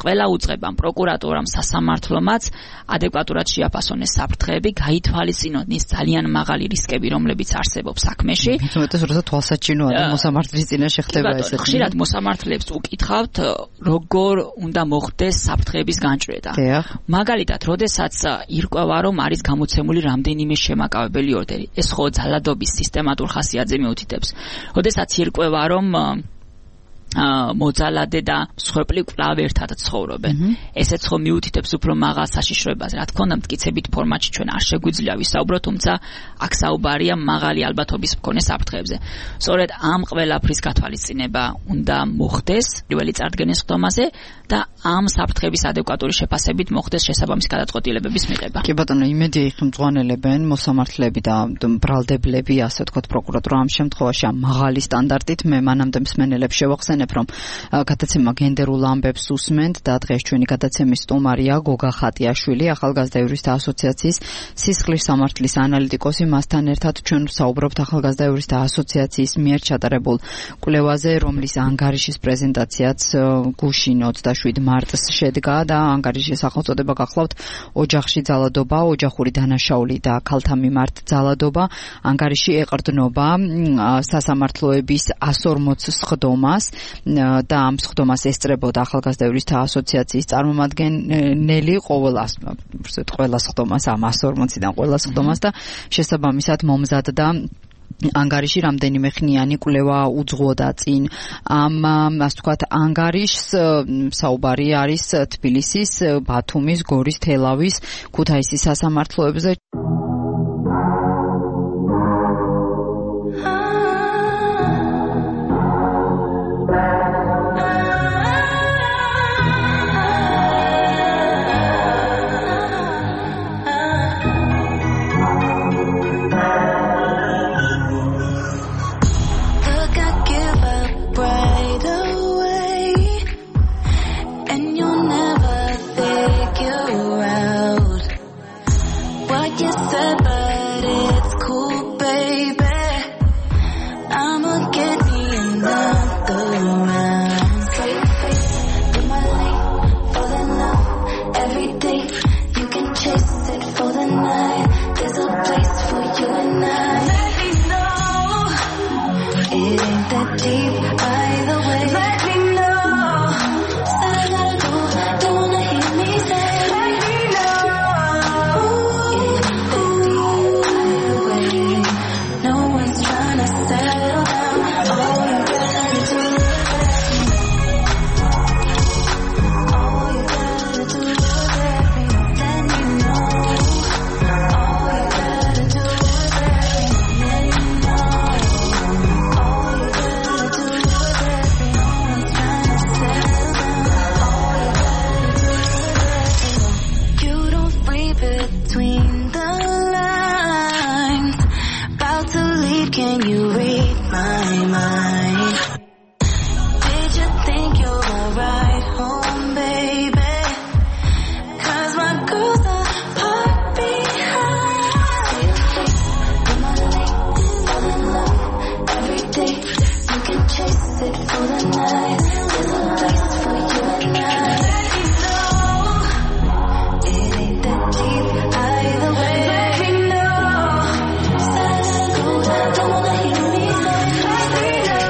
ყველა უწყებამ, პროკურატურამ, სასამართლომაც ადეკვატურად შეაფასონეს საფრთხეები, გაითვალისწინონ ის ძალიან მაღალი რისკები, რომლებიც არსებობს საქმეში. თუმცა როცა თვალსაჩინოა და მოსამართლის წინაშე ხდება ესეთი. ხშირად მოსამართლეებს უკითხავთ, როგორ უნდა მოხდეს საფრთხეების განჭრედა. მაგალითად, როდესაც ირკვევა, რომ არის გამოცემული რამდენიმე შემაკავებელი ორდერი, ეს ხო ძალადობის სისტემატურ ხასიათზე მიუთითებს. როდესაც ირკვევა, რომ მოძალადე და მსხვერპლი კვლავ ერთად ცხოვრობენ. ესეც ხო მიუთითებს უფრო მაღალ საშიშროებას. რა თქმა უნდა, მტკიცებით ფორმატში ჩვენ არ შეგვიძლია ვისაუბროთ, თუმცა აქ საუბარია მაღალი ალბათობის მქონე საფრთხეებზე. სწორედ ამ ყველაფრის გათვალისწინება უნდა მოხდეს პირველი წარდგენის ხდომაზე და ამ საფრთხების ადეკვატური შეფასებით მოხდეს შესაბამისი გადაწყვეტილებების მიღება. კი ბატონო, იმედია იხმძღვანელებენ მოსამართლეები და ბრალდებლები, ასე ვთქვათ, პროკურატურა ამ შემთხვევაში ამ მაღალი სტანდარტით. მე მანამდე მსმენელებს შევახსენებ, რომ გადაცემა გენდერულ ამბებს უსმენთ და დღეს ჩვენი გადაცემის სტუმარია გოგა ხატიაშვილი, ახალგაზრდა იურისტთა ასოციაციის სისხლის სამართლის ანალიტიკოსი. მასთან ერთად ჩვენ ვსაუბრობთ ახალგაზრდა იურისტთა ასოციაციის მიერ ჩატარებულ კვლევაზე, რომლის ანგარიშის პრეზენტაციაც გუშინ 27 მარტს შედგა და ანგარიშის სახელწოდება გახლავთ ოჯახში ძალადობა, ოჯახური დანაშაული და ქალთა მიმართ ძალადობა. ანგარიში ეყრდნობა სასამართლოების 140 სხდომას და ამ სხდომას ესწრებოდა ახალგაზრდა იურისტთა ასოციაციის წარმომადგენელი ყველა სხდომას, ამ 140-დან ყველა სხდომას და შესაბამისად მომზადდა ანგარიში. რამდენიმე ხნიანი კვლევა უძღვოდა წინ ამ, ასე ვთქვათ, ანგარიშს. საუბარი არის თბილისის, ბათუმის, გორის, თელავის, ქუთაისის სასამართლოებზე. What you can you read my mind? Did you think you were right home, baby? 'Cause my girl's not parked behind. You're my late, fall in love every day. You can chase it for the night. There's a place for you and I. Let me know it ain't that deep either way. Let me know. Don't wanna hear me say. Let me know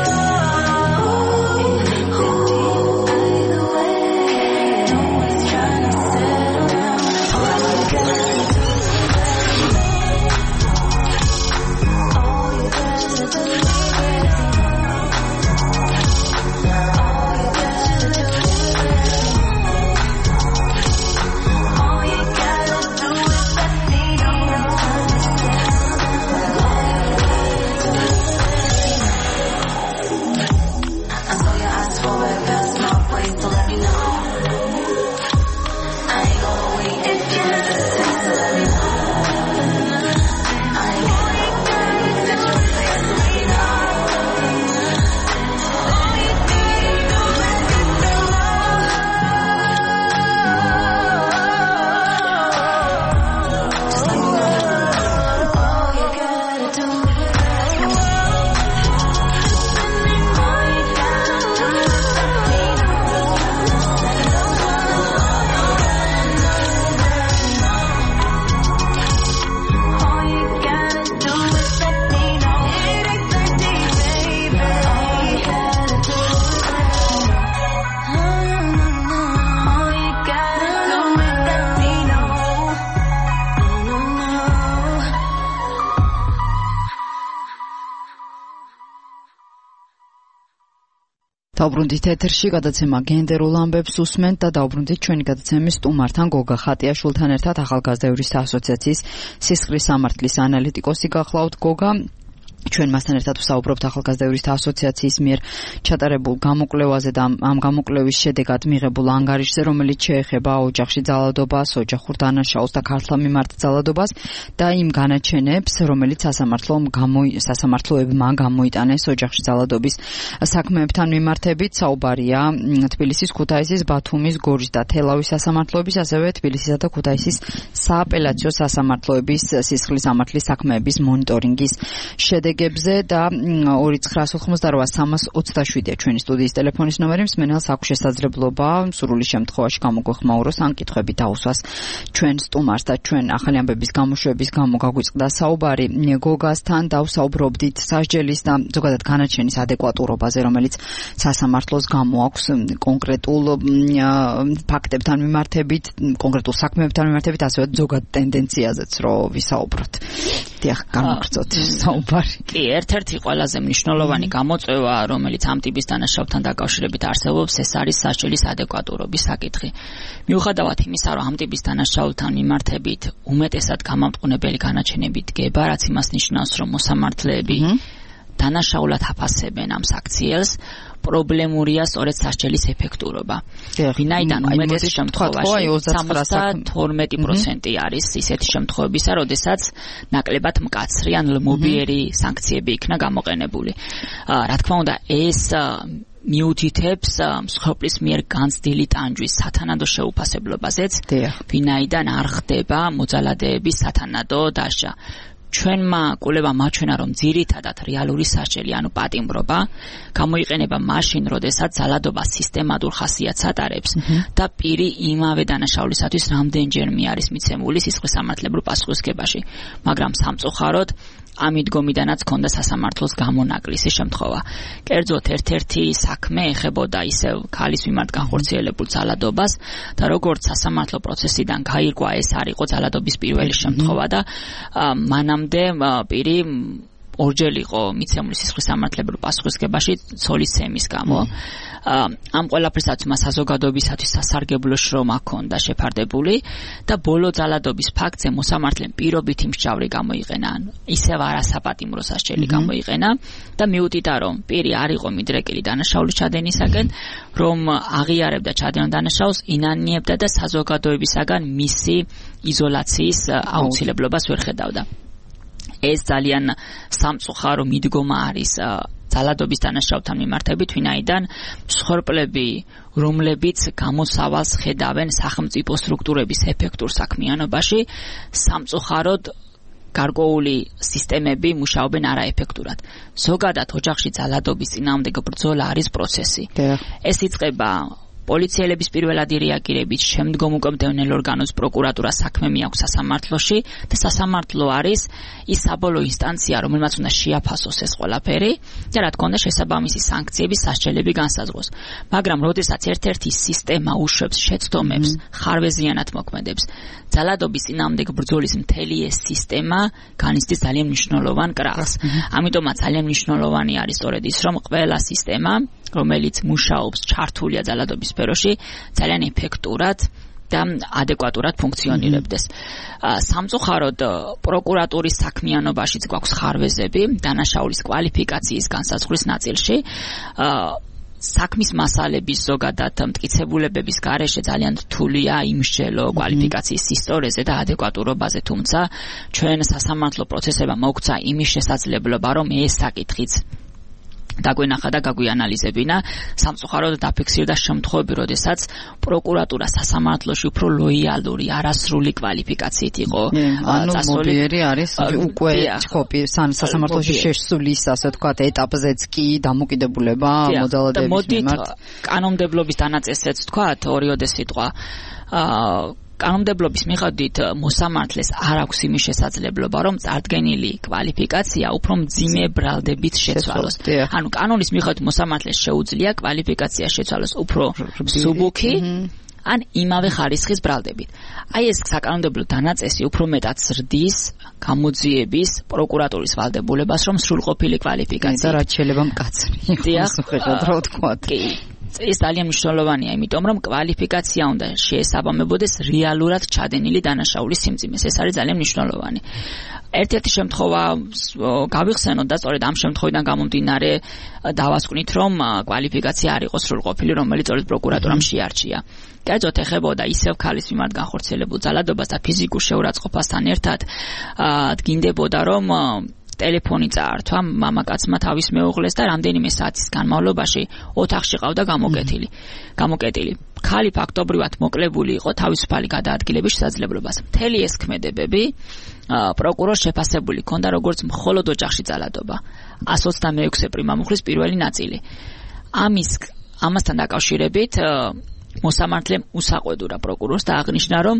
it ain't that deep either way. No one's trying to settle down. All you gotta do is all you gotta do is დაუბრუნდით ეთერში გადაცემა გენდერულ ამბებს უსმენთ და დაუბრუნდით ჩვენი გადაცემის სტუმართან გოგა ხატიაშვილთან ერთად ახალგაზრდა იურისტთა ასოციაციის სისხლის სამართლის ანალიტიკოსი გახლავთ გოგა ჩვენ მასთან ერთად ვსაუბრობთ ახალგაზრდა იურისტთა ასოციაციის მიერ ჩატარებულ გამოკვლევაზე და ამ გამოკვლევის შედეგად მიღებულ ანგარიშზე, რომელიც შეეხება ოჯახში ძალადობას, ოჯახურ დანაშაულს და ქართლ მიმართ ძალადობას და იმ განაჩენებს, რომელიც სასამართლოებმა გამოიტანეს ოჯახში ძალადობის საქმეებთან მიმართებით. საუბარია თბილისის, ქუთაისის, ბათუმის, გორჯის და თელავის სასამართლოების, ასევე თბილისისა და ქუთაისის სააპელაციო სასამართლოების სისხლის სამართლის საქმეების მონიტორინგის შედეგებზე და 2988327-ია ჩვენი სტუდიის ტელეფონის ნომერი. მსმენელს აქვს შესაძლებლობა სრული შემთხვევაში გამოგვეხმაუროს ან კითხვები დაუსვას ჩვენ სტუმარს და ჩვენ ახალი ამბების გამოშვების გამო გაგვიწყდა საუბარი გოგასთან და ვსაუბრობდით სასჯელის და ზოგადად განაჩენის ადეკვატურობაზე, რომელიც სასამართლოს გამოაქვს კონკრეტულ ფაქტებთან მიმართებით, კონკრეტულ საქმეებთან მიმართებით, ასევე ზოგად ტენდენციაზეც რო ვისაუბროთ. დიახ, გამოგწოთ საუბარი. კი, ერთ-ერთი ყველაზე მნიშვნელოვანი გამოწვევა, რომელიც ამ ტიპის დანაშაულთან დაკავშირებით არსებობს, ეს არის სასჯელის ადეკვატურობის საკითხი. მიუხედავად იმისა, რომ ამ ტიპის დანაშაულთან მიმართებით უმეტესად გამამტყუნებელი განაჩენები დგება, რაც იმას ნიშნავს, რომ მოსამართლეები დანაშაულად აფასებენ ამ საქციელს, პრობლემურია სწორედ სასჯელის ეფექტურობა. ვინაიდან უმეტეს შემთხვევაში 72% არის ისეთი შემთხვევებისა, როდესაც ნაკლებად მკაცრი ან ლმობიერი სანქციები იქნა გამოყენებული. რა თქმა უნდა, ეს მიუთითებს მსხვერპლის მიერ განცდილი ტანჯვის სათანადო შეუფასებლობაზეც, ვინაიდან არ ხდება მოძალადეების სათანადო დაშა. ჩვენმა კულებამ აჩვენა, რომ ძირითადად რეალური სასჯელი, ანუ პატიმრობა, გამოიყენება მაშინ, როდესაც ძალადობა სისტემატურ ხასიათს ატარებს და პირი იმავე დანაშაულისათვის რამდენჯერმე არის მიცემული სისხლის სამართლებრივ პასუხისმგებაში. მაგრამ სამწუხაროდ ამიდგომიდანაც ჰქონდა სასამართლოს გამონაკლისი შემთხვევა. კერძოდ ერთ-ერთი საქმე ეხებოდა ისევ ქალის მიმართ განხორციელებულ ძალადობას და როგორც სასამართლო პროცესიდან გაირკვა, ეს არ იყო ძალადობის პირველი შემთხვევა და მანამდე პირი ორჯერ იყო მიცემული სისხლის სამართლებრივ პასუხისმგებაში ცოლის ცემის გამო. ამ ყველაფერსაც მას საზოგადოებისათვის სასარგებლო შრომა ჰქონდა შეფარდებული და ბოლო ძალადობის ფაქტზე მოსამართლემ პირობითი მსჯავრი გამოიყენა, ისევ არასაპატიმრო სასჯელი გამოიყენა და მიუთითა, რომ პირი არ იყო მიდრეკილი დანაშაულის ჩადენისაგან, რომ აღიარებდა ჩადენილ დანაშაულს, ინანიებდა და საზოგადოებისაგან მისი იზოლაციის აუცილებლობას ვერ ხედავდა. ეს ძალიან სამწუხარო მიდგომა არის ძალადობის დანაშაულთან მიმართებით, ვინაიდან მსხვერპლები, რომლებიც გამოსავალს ხედავენ სახელმწიფო სტრუქტურების ეფექტურ საქმიანობაში, სამწუხაროდ გარკვეული სისტემები მუშაობენ არაეფექტურად. ზოგადად ოჯახში ძალადობის წინააღმდეგ ბრძოლა არის პროცესი. ეს იწყება პოლიციელების პირველადი რეაგირებით, შემდგომ უკვე მდევნელ ორგანოს პროკურატურას საქმე მიაქვს სასამართლოში და სასამართლო არის ის საბოლოო ინსტანცია, რომელმაც უნდა შეაფასოს ეს ყველაფერი და რა თქმა უნდა შესაბამისი სანქციების სასჯელები განსაზღვროს. მაგრამ როდესაც ერთ-ერთი სისტემა უშვებს შეცდომებს, ხარვეზიანად მოქმედებს, ძალადობის წინააღმდეგ ბრძოლის მთელი ეს სისტემა განიცდის ძალიან მნიშვნელოვან კრახს. ამიტომაც ძალიან მნიშვნელოვანი არის სწორედ ის, რომ ყველა სისტემა, რომელიც მუშაობს ჩართულია ძალადობის სფეროში, ძალიან ეფექტურად და ადეკვატურად ფუნქციონირებდეს. სამწუხაროდ პროკურატურის საქმიანობაშიც გვაქვს ხარვეზები დანაშაულის კვალიფიკაციის განსაზღვრის ნაწილში. საქმის მასალების ზოგადად მტკიცებულებების გარეშე ძალიან რთულია იმსჯელო კვალიფიკაციის ისტორიაზე და ადეკვატურობაზე, თუმცა ჩვენ სასამართლო პროცესებმა მოგცა იმის შესაძლებლობა, რომ ეს საკითხიც დაგვენახა და გაგვიანალიზებინა. სამწუხაროდ დაფიქსირდა შემთხვევები, როდესაც პროკურატურა სასამართლოში უფრო ლოიალური, არასრული კვალიფიკაციით იყო წასული. არის უკვე სასამართლოში შესulis, ასე ვთქვათ, ეტაპზეც კი დამოკიდებულება მოძალადების მიმართ. კანონმდებლობის დანაწესიც ვთქვათ, ორიოდე სიტყვა. კანონმდებლობის მიხედვით მოსამართლეს არ აქვს იმის შესაძლებლობა, რომ წარდგენილი კვალიფიკაცია უფრო მძიმე ბრალდებით შეცვალოს. ანუ კანონის მიხედვით მოსამართლეს შეუძლია კვალიფიკაცია შეცვალოს უფრო მსუბუქი ან იმავე ხარისხის ბრალდებით. აი ეს საკანონმდებლო დანაწესი უფრო მეტად ზრდის გამოძიების პროკურატურის ვალდებულებას, რომ სრულყოფილი კვალიფიკაცია და რაც შეიძლება მკაცრი იყოს, უხეშად რა ვთქვათ. ეს ძალიან მნიშვნელოვანია, იმიტომ რომ კვალიფიკაცია უნდა შეესაბამებოდეს რეალურად ჩადენილი დანაშაულის სიმძიმეს. ეს არის ძალიან მნიშვნელოვანი. ერთ-ერთი შემთხვევა გავიხსენოთ და სწორედ ამ შემთხვევიდან გამომდინარე დავასკვნით, რომ კვალიფიკაცია არ იყო სრულყოფილი, რომელიც სწორედ პროკურატურამ შეარჩია. კერძოდ ეხებოდა ისევ ქალის მიმართ განხორციელებულ ძალადობას და ფიზიკურ შეურაცხყოფასთან ერთად დგინდებოდა, რომ ტელეფონი წაართვა მამაკაცმა თავის მეუღლეს და რამდენიმე საათის განმავლობაში ოთახში ყავდა გამოკეტილი. ქალი ფაქტობრივად მოკლებული იყო თავისუფალი გადაადგილების შესაძლებლობას. მთელი ეს ქმედებები პროკურორს შეფასებული ჰქონდა როგორც მხოლოდ ოჯახში ძალადობა. 126 პრიმამუხლის პირველი ნაწილი. ამასთან დაკავშირებით მოსამართლემ უსაყვედურა პროკურორს და აღნიშნა, რომ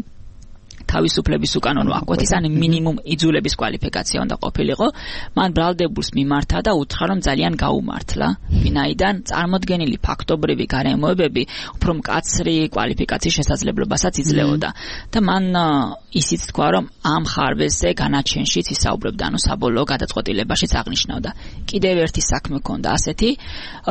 თავისუფლების უკანონო აკვეთის ან მინიმუმ იძულების კვალიფიკაცია უნდა ყოფილიყო. მან ბრალდებულს მიმართა და უთხრა, რომ ძალიან გაუმართლა, ვინაიდან წარმოდგენილი ფაქტობრივი გარემოებები უფრო მკაცრი კვალიფიკაციის შესაძლებლობასაც იძლეოდა და მან ისიც თქვა, რომ ამ ხარვეზზე განაჩენშიც ისაუბრებდა, ანუ საბოლოო გადაწყვეტილებაშიც აღნიშნავდა. კიდევ ერთი საქმე ჰქონდა ასეთი,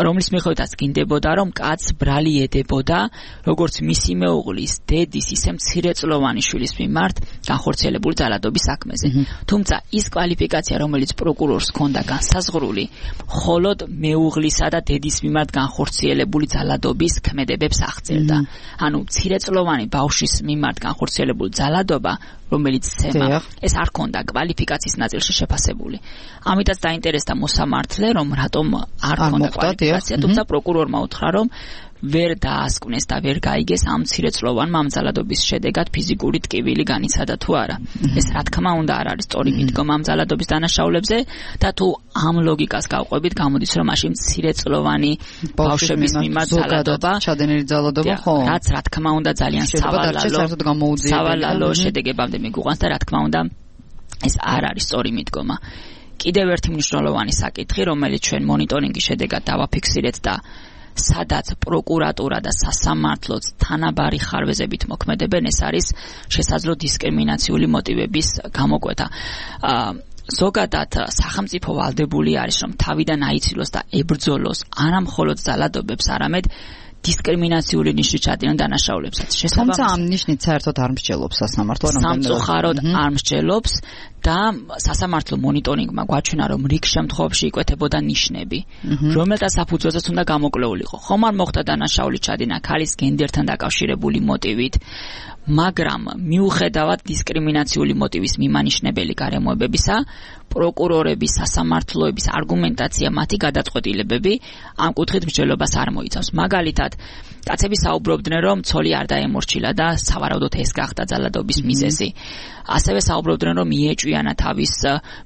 რომლის მიხედვითაც გინდებოდა, რომ კაცს ბრალი ედებოდა, როგორც მისი მეუღლის, დედის, ისე მცირეწლოვანი შვილის მიმართ განხორციელებული ძალადობის საქმეზე. თუმცა ის კვალიფიკაცია, რომელიც პროკურორს ჰქონდა განსაზღვრული, მხოლოდ მეუღლისა და დედის მიმართ განხორციელებული ძალადობის ქმედებებს აღწერდა. ანუ მცირეწლოვანი ბავშვის მიმართ განხორციელებული ძალადობა, რომელიც ცემა, ეს არ ჰქონდა კვალიფიკაციის ნაწილში შეფასებული. ამიტაც დაინტერესდა მოსამართლე, რომ რატომ არ ჰქონდა კვალიფიკაცია, თუმცა პროკურორმა უთხრა, რომ ვერ დაასკვნეს და ვერ გაიგეს ამ მცირეწლოვანმა ამ ძალადობის შედეგად ფიზიკური ტკივილი განიცადა თუ არა. ეს რა თქმა უნდა არ არის სწორი მიდგომა ამ ძალადობის დანაშაულებზე და თუ ამ ლოგიკას გავყვებით, გამოდის, რომ მაშინ მცირეწლოვანი ბავშვების მიმართ ძალადობა, ჩადენილი ძალადობა, ხო? რაც რა თქმა უნდა ძალიან სავალალო შედეგებამდე მიგუყვანს და რა თქმა უნდა ეს არ არის სწორი მიდგომა. კიდევ ერთი მნიშვნელოვანი საკითხი, რომელიც ჩვენ მონიტორინგის შედეგად დავაფიქსირეთ და სადაც პროკურატურა და სასამართლოც თანაბარი ხარვეზებით მოქმედებენ, ეს არის შესაძლო დისკრიმინაციული მოტივების გამოკვეთა. ზოგადად სახელმწიფო ვალდებული არის, რომ თავიდან აიცილოს და ებრძოლოს არა მხოლოდ ძალადობებს, არამედ დისკრიმინაციული ნიშნით ჩადენილ დანაშაულებსაც. თუმცა ამ ნიშნით საერთოდ არ მსჯელობს სასამართლო, სამწუხაროდ არ მსჯელობს და სასამართლო მონიტორინგმა გვაჩვენა, რომ რიგ შემთხვევებში იკვეთებოდა ნიშნები, რომელთა საფუძველზეც უნდა გამოკვლეულიყო. ხომ არ მოხდა დანაშაული ჩადენა ქალის გენდერთან დაკავშირებული მოტივით, მაგრამ მიუხედავად დისკრიმინაციული მოტივის მიმანიშნებელი გარემოებებისა, პროკურორების, სასამართლოების არგუმენტაცია, მათი გადაწყვეტილებები ამ კუთხით მსჯელობას არ მოიცავს. მაგალითად, კაცები საუბრობდნენ, რომ ცოლი არ დაემორჩილა და სავარაუდოდ ეს გახდა ძალადობის მიზეზი. ასევე საუბრობდნენ, რომ მიეჭვიანა თავის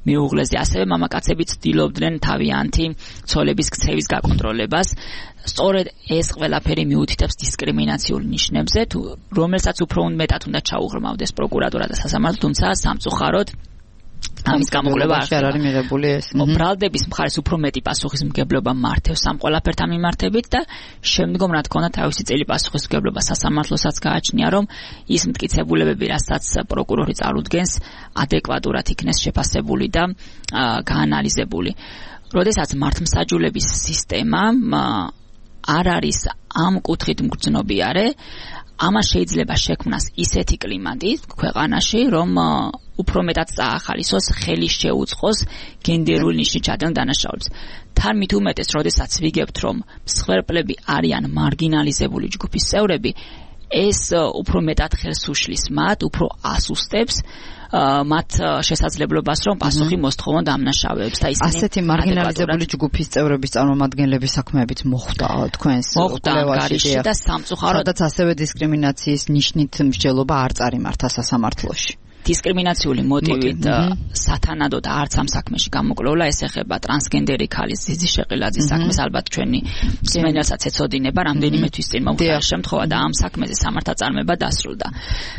მეუღლეზე. ასევე მამაკაცები ცდილობდნენ თავიანთი ცოლების ქცევის გაკონტროლებას. სწორედ ეს ყველაფერი მიუთითებს დისკრიმინაციულ ნიშნებზე, რომელსაც უფრო მეტად უნდა ჩაუღრმავდეს პროკურატურა და სასამართლო, თუმცა სამწუხაროდ ამის გამოკვლევა არ არის მიღებული ეს. ბრალდების მხარეს უფრო მეტი პასუხისმგებლობა მართავს ამ ყველაფერთან მიმართებით და შემდგომ რა თქმა უნდა თავისი წელი პასუხისმგებლობა სასამართლოსაც გააჩნია, რომ ის მტკიცებულებები, რასაც პროკურორი წარუდგენს, ადეკვატურად იქნეს შეფასებული და გაანალიზებული. როდესაც მართლმსაჯულების სისტემა არ არის ამ კუთხით მგრძნობიარე, ამას შეიძლება შექმნას ისეთი კლიმატი ქვეყანაში, რომ უფრო მეტად წაახალისოს, ხელი შეუწყოს გენდერულ ნიშნით ჩადენ დანაშაულებს. თან მით უმეტეს, როდესაც ვიგებთ, რომ მსხვერპლები არიან მარგინალიზებული ჯგუფის წევრები, ეს უფრო მეტად ხელს უშლის მათ, უფრო ასუსტებს მათ შესაძლებლობას, რომ პასუხი მოსთხოვონ დამნაშავეებს და ისინი ასეთი მარგინალიზებული ჯგუფის წევრების წარმომადგენლების საქმეებით მოხვდა თქვენს კვლევაში და სამწუხაროდ სადაც ასევე დისკრიმინაციის ნიშნით მსჯელობა არ წარიმართა სასამართლოში. დისკრიმინაციული მოტივით სათანადოდ არც ამ საქმეში გამოკვლეულა, ეს ეხება ტრანსგენდერი ქალის ზიზი შეყილაძის საქმეს, ალბათ ჩვენი მსმენელსაც ეცოდინება, რამდენიმე თვის წინ მომხდარა შემთხვევა და ამ საქმეზე სამართალწარმოება დასრულდა.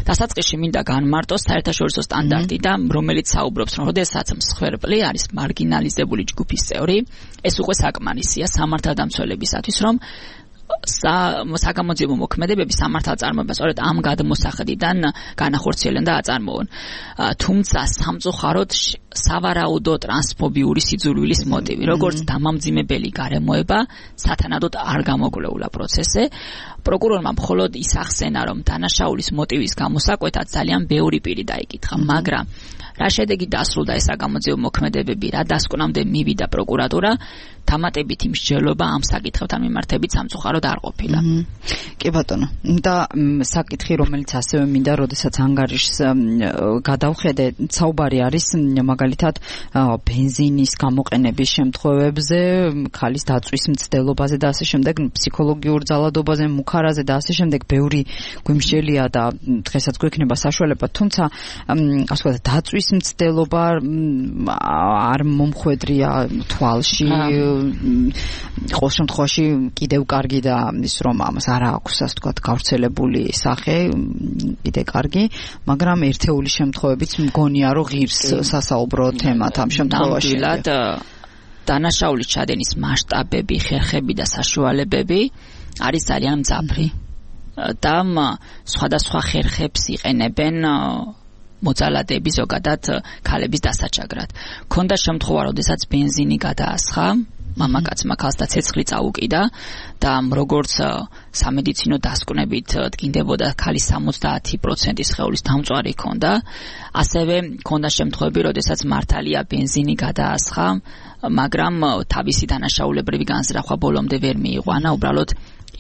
დასაწყისში მინდა განმარტოს საერთაშორისო სტანდარტი და რომელიც საუბრობს, რომ როდესაც მსხვერპლი არის მარგინალიზებული ჯგუფის წევრი, ეს უკვე საკმარისია სამართალდამცველებისათვის, რომ საგამოძიებო მოქმედებები სამართალწარმოება სწორედ ამ გადმოსახედიდან განახორციელონ და აწარმოონ. თუმცა სამწუხაროდ სავარაუდო ტრანსფობიური სიძულვილის მოტივი, როგორც დამამძიმებელი გარემოება, სათანადოდ არ გამოკვლეულა პროცესზე. პროკურორმა მხოლოდ ის ახსენა, რომ დანაშაულის მოტივის გამოსაკვეთად ძალიან ბევრი პირი დაიკითხა, მაგრამ რა შედეგი დასრულდა ეს საგამოძიებო მოქმედებები, რა დასკვნამდე მივიდა პროკურატურა, დამატებითი მსჯელობა ამ საკითხებთან მიმართებით სამწუხაროდ არ ყოფილა. კი ბატონო, და საკითხი, რომელიც ასევე მინდა, როდესაც ანგარიშს გადავხედე, საუბარი არის მაგალითად ბენზინის გამოყენების შემთხვევებზე, ქალის დაწვის მცდელობაზე და ასე შემდეგ, ფსიქოლოგიურ ძალადობაზე, მუქარაზე და ასე შემდეგ, ბევრი გვიმსჯელია და დღესაც გვექნება საშუალება, თუმცა ასე ვთქვათ, დაწვის მცდელობა არ მომხვედრია თვალში, ყოველ შემთხვევაში კიდევ კარგი და ის რომ ამას არ აქვს ასე ვთქვათ გავრცელებული სახე, კიდე კარგი, მაგრამ ერთეული შემთხვევებიც მგონია რომ ღირს სასაუბრო თემად ამ შემთხვევაში. დანაშაულის ჩადენის მასშტაბები, ხერხები და საშუალებები არის ძალიან მძაფრი და სხვადასხვა ხერხებს იყენებენ მოძალადეები ზოგადად ქალების დასაჩაგრად. ქონდა შემთხვევა, როდესაც ბენზინი გადაასხა, მამაკაცმა ქალს და ცეცხლი წაუკიდა და როგორც სამედიცინო დასკვნებით დგინდებოდა ქალის 70% სხეულის დამწვარი ქონდა, ასევე ქონდა შემთხვევები, როდესაც მართალია ბენზინი გადაასხა, მაგრამ თავისი დანაშაულებრივი განზრახვა ბოლომდე ვერ მიიყვანა, უბრალოდ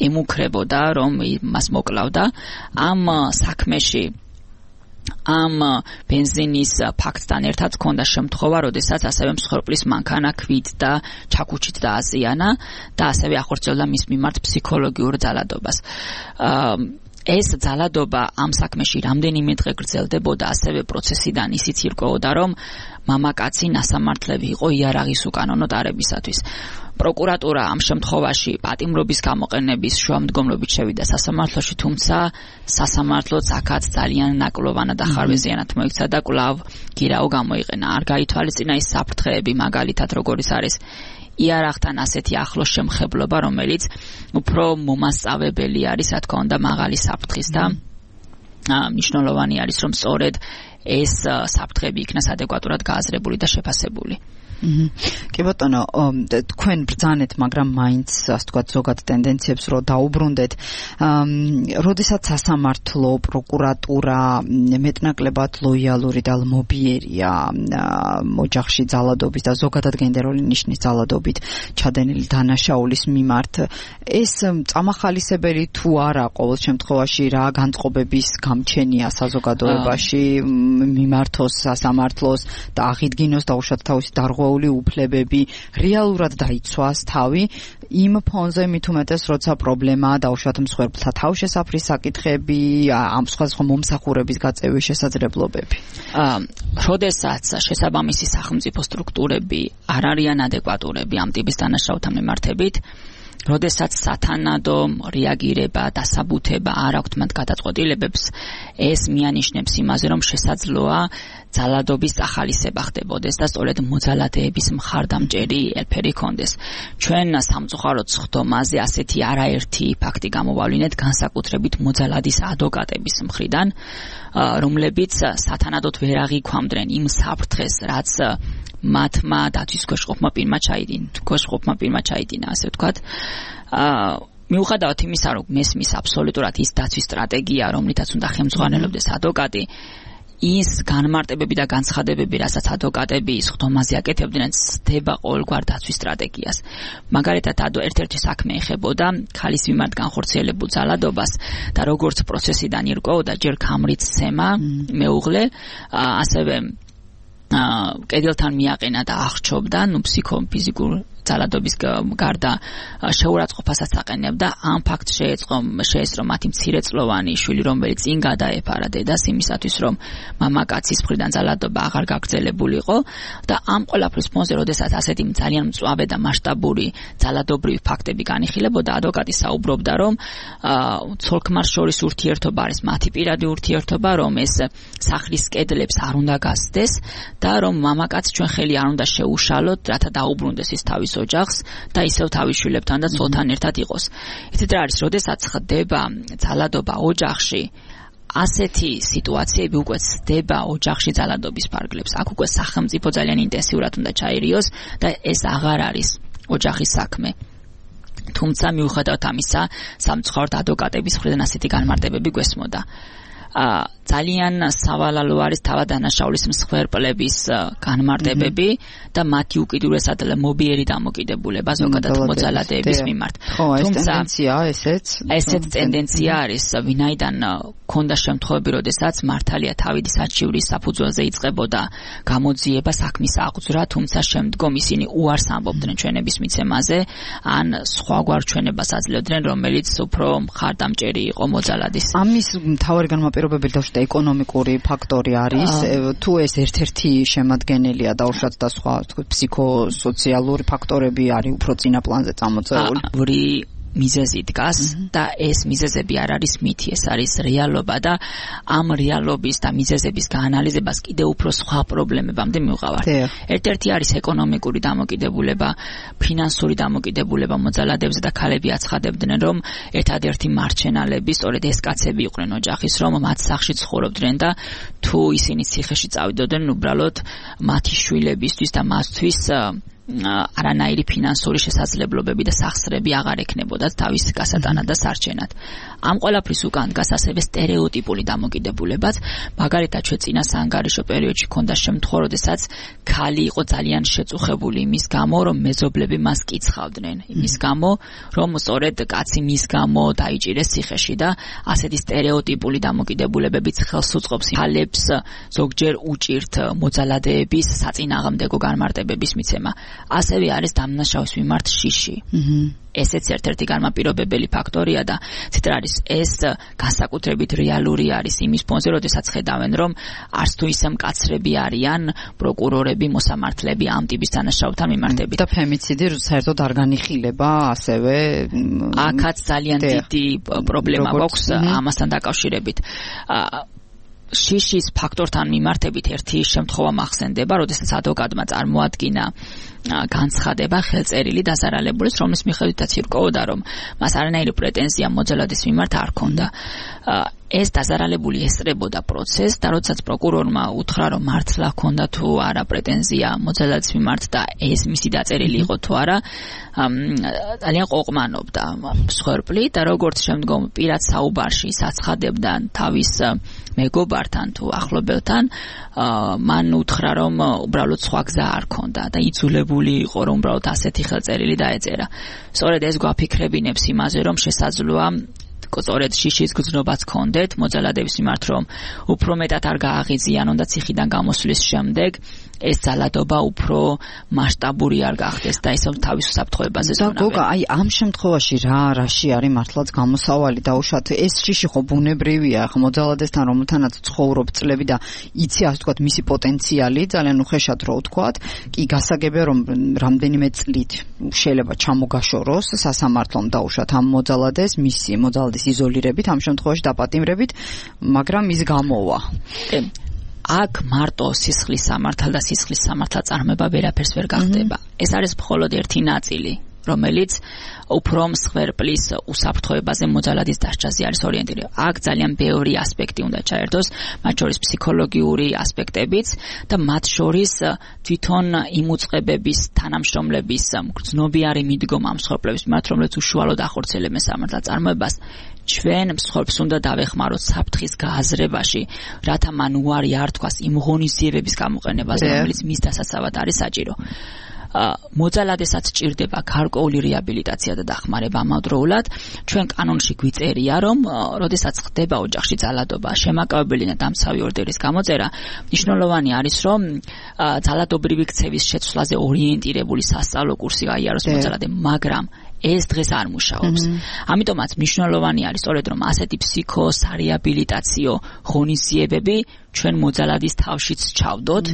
ემუქრებოდა, რომ მას მოკლავდა. ამ საქმეში ამ ბენზინის ფაქტთან ერთად ქონდა შემთხვევა, როდესაც ასევე მსხვერპლის მანქანა ქვით და ჩაქუჩით დააზიანა და ასევე ახორციელდა მის მიმართ ფსიქოლოგიურ ძალადობას. ეს ძალადობა ამ საქმეში რამდენიმე დღე გრძელდებოდა, ასევე პროცესიდან ისიც ირკვეოდა, რომ მამაკაცი ნასამართლები იყო იარაღის უკანონო დარებისათვის. პროკურატურა ამ შემთხვევაში პატიმრობის გამოყენების შუამდგომლობით შევიდა სასამართლოში, თუმცა სასამართლოც აქაც ძალიან ნაკლოვანად და ხარვეზიანად მოიქცა და კვლავ გირაო გამოიყენა. არ გაითვალისწინა ის საფრთხეები, მაგალითად როგორიც არის იარაღთან ასეთი ახლო შემხებლობა, რომელიც უფრო მომასწავებელი არის, რა თქმა უნდა, მაღალი საფრთხის და მნიშვნელოვანი არის, რომ სწორედ ეს საფრთხეები იქნას ადეკვატურად გააზრებული და შეფასებული. კი ბატონო, თქვენ ბრძანეთ, მაგრამ მაინც ასე ვთქვათ ზოგად ტენდენციებს რო დაუბრუნდეთ. როდესაც სასამართლო, პროკურატურა მეტნაკლებად ლოიალური და ლმობიერია ოჯახში ძალადობის და ზოგადად გენდერული ნიშნის ძალადობით ჩადენილი დანაშაულის მიმართ, ეს წამახალისებელი თუ არა ყოველ შემთხვევაში რა განწყობების გამჩენია საზოგადოებაში მიმართოს სასამართლოს და აღიდგინოს დაუშვათ თავისი დარღვეული უფლებები, რეალურად დაიცვას თავი იმ ფონზე მით უმეტეს, როცა პრობლემაა დაუშვათ მსხვერპლთა თავშესაფრის საკითხები, ამ სხვადასხვა მომსახურების გაწევის შესაძლებლობები. როდესაც შესაბამისი სახელმწიფო სტრუქტურები არ არიან ადეკვატურები ამ ტიპის დანაშაულთან მიმართებით, როდესაც სათანადო რეაგირება, დასაბუთება არ აქვთ მათ გადაწყვეტილებებს, ეს მიანიშნებს იმაზე, რომ შესაძლოა ძალადობის ახალისება ხდებოდეს და სწორედ მოძალადეების მხარდამჭერი ელფერი ჰქონდეს. ჩვენ სამწუხაროდ სხდომაზე ასეთი არაერთი ფაქტი გამოვავლინეთ, განსაკუთრებით მოძალადის ადვოკატების მხრიდან, რომლებიც სათანადოდ ვერ აღიქვამდნენ იმ საფრთხეს, რაც მათმა დაცვის ქვეშყოფმა პირმა ჩაიდინა, ასე ვთქვათ. მიუხედავად იმისა, რომ მესმის აბსოლუტურად ის დაცვის სტრატეგია, რომლითაც უნდა ხელმძღვანელობდეს ადვოკატი, ის განმარტებები და განცხადებები, რასაც ადვოკატები სხდომაზე აკეთებდნენ, ცდება ყოველგვარ დაცვის სტრატეგიას. მაგალითად, ერთ-ერთი საქმე ეხებოდა ქალის მიმართ განხორციელებულ ძალადობას და როგორც პროცესიდან ირკვეოდა, ჯერ ქამრიცცემა მეუღლე, ასევე კედელთან მიაყენა და აღჭობდა, ფიზიკურ ძალადობის გარდა შეურაცხყოფასაც აყენებდა. ამ ფაქტს შეეწყო მათი მცირეწლოვანი შვილი, რომელიც წინ გადაეფარა დედას იმისათვის, რომ მამაკაცის მხრიდან ძალადობა აღარ გაგრძელებულიყო და ამ ყველაფრის ფონზე, როდესაც ასეთი ძალიან მწვავე და მასშტაბური ძალადობრივი ფაქტები განიხილებოდა, ადვოკატი საუბრობდა, რომ ცოლ-ქმარს შორის ურთიერთობა არის მათი პირადი ურთიერთობა, რომ ეს სახლის კედლებს არ უნდა გასცდეს და რომ მამაკაცს ჩვენ ხელი არ უნდა შეუშალოთ, რათა დაუბრუნდეს ის თავის ოჯახს და ისევ თავის შვილებთან და ცოლთან ერთად იყოს. იცით რა არის, როდესაც ხდება ძალადობა ოჯახში, ასეთი სიტუაციები უკვე ცდება ოჯახში ძალადობის ფარგლებს. აქ უკვე სახელმწიფო ძალიან ინტენსიურად უნდა ჩაერიოს და ეს აღარ არის ოჯახის საქმე. თუმცა მიუხედავად ამისა, სამწუხაროდ ადვოკატების მხრიდან ასეთი განმარტებები გვესმოდა. ძალიან სავალალო არის თავადანაშაულის მსხვერპლების განმარტებები და მათი უკიდურესად მობიერი დამოკიდებულება ზოგადად მოძალადეების მიმართ. თუმცა ესეც ტენდენცია არის, ვინაიდან ქონდა შემთხვევები, როდესაც მართალია თავის საჩივრის საფუძველზე იწყებოდა გამოძიება, საქმის აღძვრა, თუმცა შემდგომ ისინი უარს ამბობდნენ ჩვენების მიცემაზე, ან სხვაგვარ ჩვენებას აძლევდნენ, რომელიც უფრო მხარდამჭერი იყო მოძალადის. ამის მთავარი განმაპირობებელი და ეკონომიკური ფაქტორი არის, თუ ეს ერთ-ერთი შემადგენელია დაუშვათ და სხვა ფსიქოსოციალური ფაქტორები არის უფრო წინა პლანზე წამოწეული. მიზეზი დგას და ეს მიზეზები არ არის მითი, ეს არის რეალობა და ამ რეალობის და მიზეზების გაანალიზებას კიდევ უფრო სხვა პრობლემებამდე მივყავართ. ერთ-ერთი არის ეკონომიკური დამოკიდებულება, ფინანსური დამოკიდებულება მოძალადეებზე და ქალები აცხადებდნენ, რომ ერთადერთი მარჩენალები სწორედ ეს კაცები იყვნენ ოჯახის, რომ მათ სახლში ცხოვრობდნენ და თუ ისინი ციხეში წავიდოდნენ, უბრალოდ მათი შვილებისთვის და მათთვის არანაირი ფინანსური შესაძლებლობები და სახსრები აღარ ექნებოდათ თავის გასატანად და სარჩენად. ამ ყველაფრის უკან დგას ასევე სტერეოტიპული დამოკიდებულებაც. მაგალითად, ჩვენ წინა საანგარიშო პერიოდში ქონდა შემთხვევა, როდესაც ქალი იყო ძალიან შეწუხებული იმის გამო, რომ მეზობლები მას კიცხავდნენ. იმის გამო, რომ სწორედ კაცი მის გამო დაიჭირეს ციხეში და ასეთი სტერეოტიპული დამოკიდებულებებიც ხელს უწყობს ქალებს ზოგჯერ უჭირთ მოძალადეების საწინააღმდეგო განმარტებების მიცემა. ასევე არის დამნაშავის მიმართ შიში. ესეც ერთ-ერთი განმაპირობებელი ფაქტორია და ცით არის, ეს განსაკუთრებით რეალური არის იმის ფონზე, როდესაც ხედავენ, რომ არც თუ ისე მკაცრები არიან პროკურორები, მოსამართლეები ამ ტიპის დანაშაულთან მიმართებით. და ფემიციდი საერთოდ არ განიხილება ასევე. აქაც ძალიან დიდი პრობლემა გვაქვს ამასთან დაკავშირებით. შიშის ფაქტორთან მიმართებით ერთი შემთხვევა მახსენდება, როდესაც ადვოკატმა წარმოადგინა განცხადება ხელწერილი დაზარალებულის, რომლის მიხედვითაც ირკვეოდა, რომ მას არანაირი პრეტენზია მოძალადის მიმართ არ ჰქონდა. ეს დაზარალებული ესწრებოდა პროცესს და როდესაც პროკურორმა უთხრა რომ მართლა ჰქონდა თუ არა პრეტენზია მოძალადის მიმართ და ეს მისი დაწერილი იყო თუ არა ძალიან ყოყმანობდა მსხვერპლი და როგორც შემდგომ პირად საუბარში საცხადებდა თავის მეგობართან თუ ახლობელთან მან უთხრა რომ უბრალოდ სხვა გზა არ ქონდა და იძულებული იყო რომ უბრალოდ ასეთი ხელწერილი დაეწერა. სწორედ ეს გვაფიქრებინებს იმაზე რომ შესაძლოა სწორედ შიშის გრძნობაც ჰქონდეთ მოძალადების მიმართ რომ უფრო მეტად არ გააღიზიანონ და ციხიდან გამოსვლის შემდეგ ეს ძალადობა უფრო მასშტაბური არ გახდეს და ისევ თავის უსაფრთხოებაზე ზრუნავენ. და გოგა, აი ამ შემთხვევაში რაში არის მართლაც გამოსავალი დაუშვათ ეს შიში ხო ბუნებრივია, ხო მოძალადესთან რომელთანაც ცხოვრობ წლები და იცი ასე ვთქვათ მისი პოტენციალი ძალიან უხეშად რო ვთქვათ, კი გასაგებია რომ რამდენიმე წლით შეიძლება ჩამოგაშოროს სასამართლომ დაუშვათ ამ მოძალადეს მისი მოძალადის იზოლირებით, ამ შემთხვევაში დაპატიმრებით, მაგრამ ის გამოვა. აქ მარტო სისხლის სამართალ და სისხლის სამართალ წარმოება ვერაფერს ვერ გახდება. ეს არის მხოლოდ ერთი ნაწილი, რომელიც უფრო მსხვერპლის უსაფრთხოებაზე მოძალადის დასჯაზე არის ორიენტირებული. აქ ძალიან ბევრი ასპექტი უნდა ჩაერთოს, მათ შორის ფსიქოლოგიური ასპექტებიც და მათ შორის თვითონ იმ უწყებების თანამშრომლების გრძნობიარე მიდგომა მსხვერპლების მიმართ, რომლებიც უშუალოდ ახორციელებენ სამართალ წარმოებას. ჩვენ მსხვერპლს უნდა დავეხმაროთ საფრთხის გააზრებაში, რათა მან უარი არ თქვას იმ ღონისძიებების გამოყენებაზე, რომელიც მის დასაცავად არის საჭირო. მოძალადესაც ჭირდება გარკვეული რეაბილიტაცია და დახმარება ამავდროულად. ჩვენ კანონში გვიწერია, რომ როდესაც ხდება ოჯახში ძალადობა, შემაკავებელი და დამცავი ორდერის გამოწერა, მნიშვნელოვანი არის, რომ ძალადობრივი ქცევის შეცვლაზე ორიენტირებული სასწავლო კურსი გაიაროს მოძალადემ, მაგრამ ეს დღეს არ მუშაობს. ამიტომაც მნიშვნელოვანი არის სწორედ რომ ასეთი ფსიქოსარეაბილიტაციო ღონისძიებები ჩვენ მოძალადის თავშიც ჩავდოთ,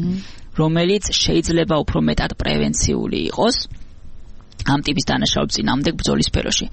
რომელიც შეიძლება უფრო მეტად პრევენციული იყოს ამ ტიპის დანაშაულების წინააღმდეგ ბრძოლის სფეროში.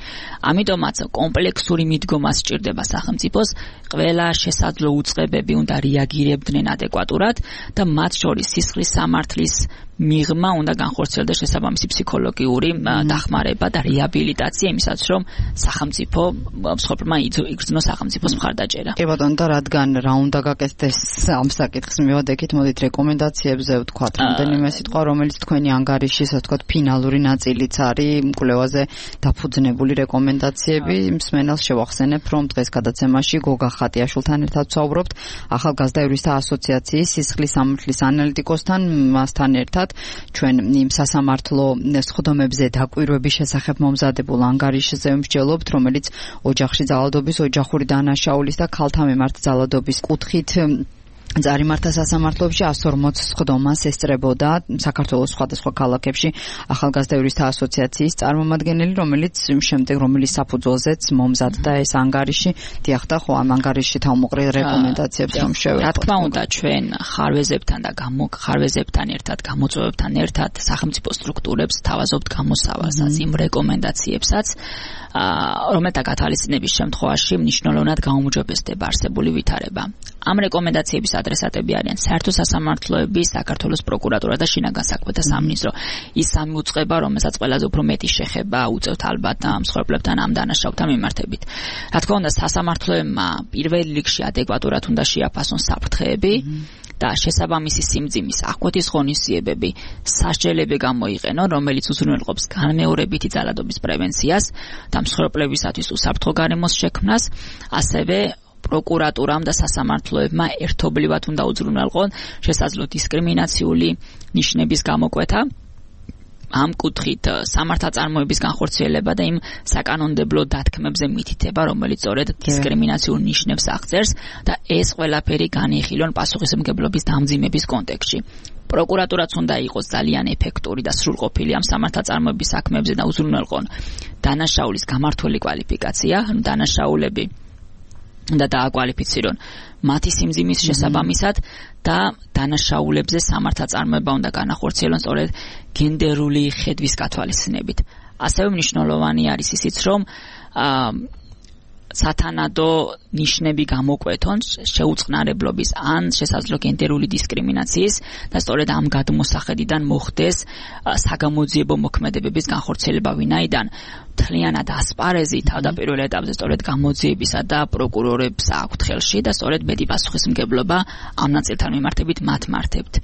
ამიტომაც კომპლექსური მიდგომა სჭირდება სახელმწიფოს, ყველა შესაძლო უწყებები უნდა რეაგირებდნენ ადეკვატურად და მათ შორის სისხლის სამართლის მიღმა უნდა განხორციელდეს შესაბამისი ფსიქოლოგიური დახმარება და რეაბილიტაცია იმისაც რომ სახელმწიფო მსხვერპლმა იგრძნოს სახელმწიფოს მხარდაჭერა. კი ბატონო, და რადგან რა უნდა გაკეთდეს ამ საკითხს მივადექით, მოდით რეკომენდაციებზე ვთქვათ რამდენიმე სიტყვა, რომელიც თქვენი ანგარიშის ასე ვთქვათ ფინალური ნაწილიც არის მკვლევაზე დაფუძნებული რეკომენდაციები. მსმენელს შევახსენებ, რომ დღეს გადაცემაში გოგა ხატიაშვილთან ერთად ვსაუბრობთ ახალგაზრდა იურისტთა ასოციაციის სისხლის სამართლის ანალიტიკოსთან, მასთან ერთად ჩვენ იმ სასამართლო სხდომებზე დაკვირვების შესახებ მომზადებულ ანგარიშზე ვმსჯელობთ, რომელიც ოჯახში ძალადობის, ოჯახური დანაშაულის და ქალთა მიმართ ძალადობის კუთხით წარიმართა სასამართლოებში 140 სხდომას ესწრებოდა საქართველოს სხვადასხვა ქალაქებში ახალგაზრდა იურისტთა ასოციაციის წარმომადგენელი, რომელიც საფუძველზეც მომზადდა ეს ანგარიში. დიახ, ხო ამ ანგარიშში თავმოყრილ რეკომენდაციებს რომ შევეცვალოთ. რა თქმა უნდა, ჩვენ ხარვეზებთან და ხარვეზებთან ერთად, გამოწვევებთან ერთად სახელმწიფო სტრუქტურებს თავაზობთ გამოსავალსაც, იმ რეკომენდაციებსაც, რომელთა გათვალისწინების შემთხვევაში მნიშვნელოვნად გაუმჯობესდება არსებული ვითარება. ამ რეკომენდაციების ადრესატები არიან საერთო სასამართლოები, საქართველოს პროკურატურა და შინაგან საქმეთა სამინისტრო. ის სამი უწყება, რომელსაც ყველაზე უფრო მეტი შეხება უწევთ ალბათ მსხვერპლებთან ამ დანაშაულთან მიმართებით. რა თქმა უნდა, სასამართლოებმა პირველ რიგში ადეკვატურად უნდა შეაფასონ საფრთხეები და შესაბამისი სიმძიმის აღკვეთის ღონისძიებები სასჯელები გამოიყენონ, რომელიც უზრუნველყოფს განმეორებითი ძალადობის პრევენციას და მსხვერპლებისათვის უსაფრთხო გარემოს შექმნას, ასევე პროკურატურამ და სასამართლოებმა ერთობლივად უნდა უზრუნველყონ შესაძლო დისკრიმინაციული ნიშნების გამოკვეთა, ამ კუთხით სამართალწარმოების განხორციელება და იმ საკანონმდებლო დათქმებზე მითითება, რომელიც სწორედ დისკრიმინაციულ ნიშნებს აღწერს და ეს ყველაფერი განიხილონ პასუხისმგებლობის დამძიმების კონტექსტში. პროკურატურაც უნდა იყოს ძალიან ეფექტური და სრულყოფილი ამ სამართალწარმოების საქმეებზე და უზრუნველყონ დანაშაულის გამართული კვალიფიკაცია, დანაშაულები და დააკვალიფიცირონ მათი სიმძიმის შესაბამისად და დანაშაულებზე სამართალწარმოება უნდა განახორციელონ სწორედ გენდერული ხედვის გათვალისწინებით. ასევე მნიშვნელოვანი არის ისიც, რომ სათანადო ნიშნები გამოკვეთონ შეუწყნარებლობის ან შესაძლო გენდერული დისკრიმინაციის და სწორედ ამ გადმოსახედიდან მოხდეს საგამოძიებო მოქმედებების განხორციელება, ვინაიდან მთლიანად ასპარეზი თავდაპირველ ეტაპზე სწორედ გამოძიებისა და პროკურორებს აქვთ ხელში და სწორედ მეტი პასუხისმგებლობა ამ ნაწილთან მიმართებით მათ მარდებთ.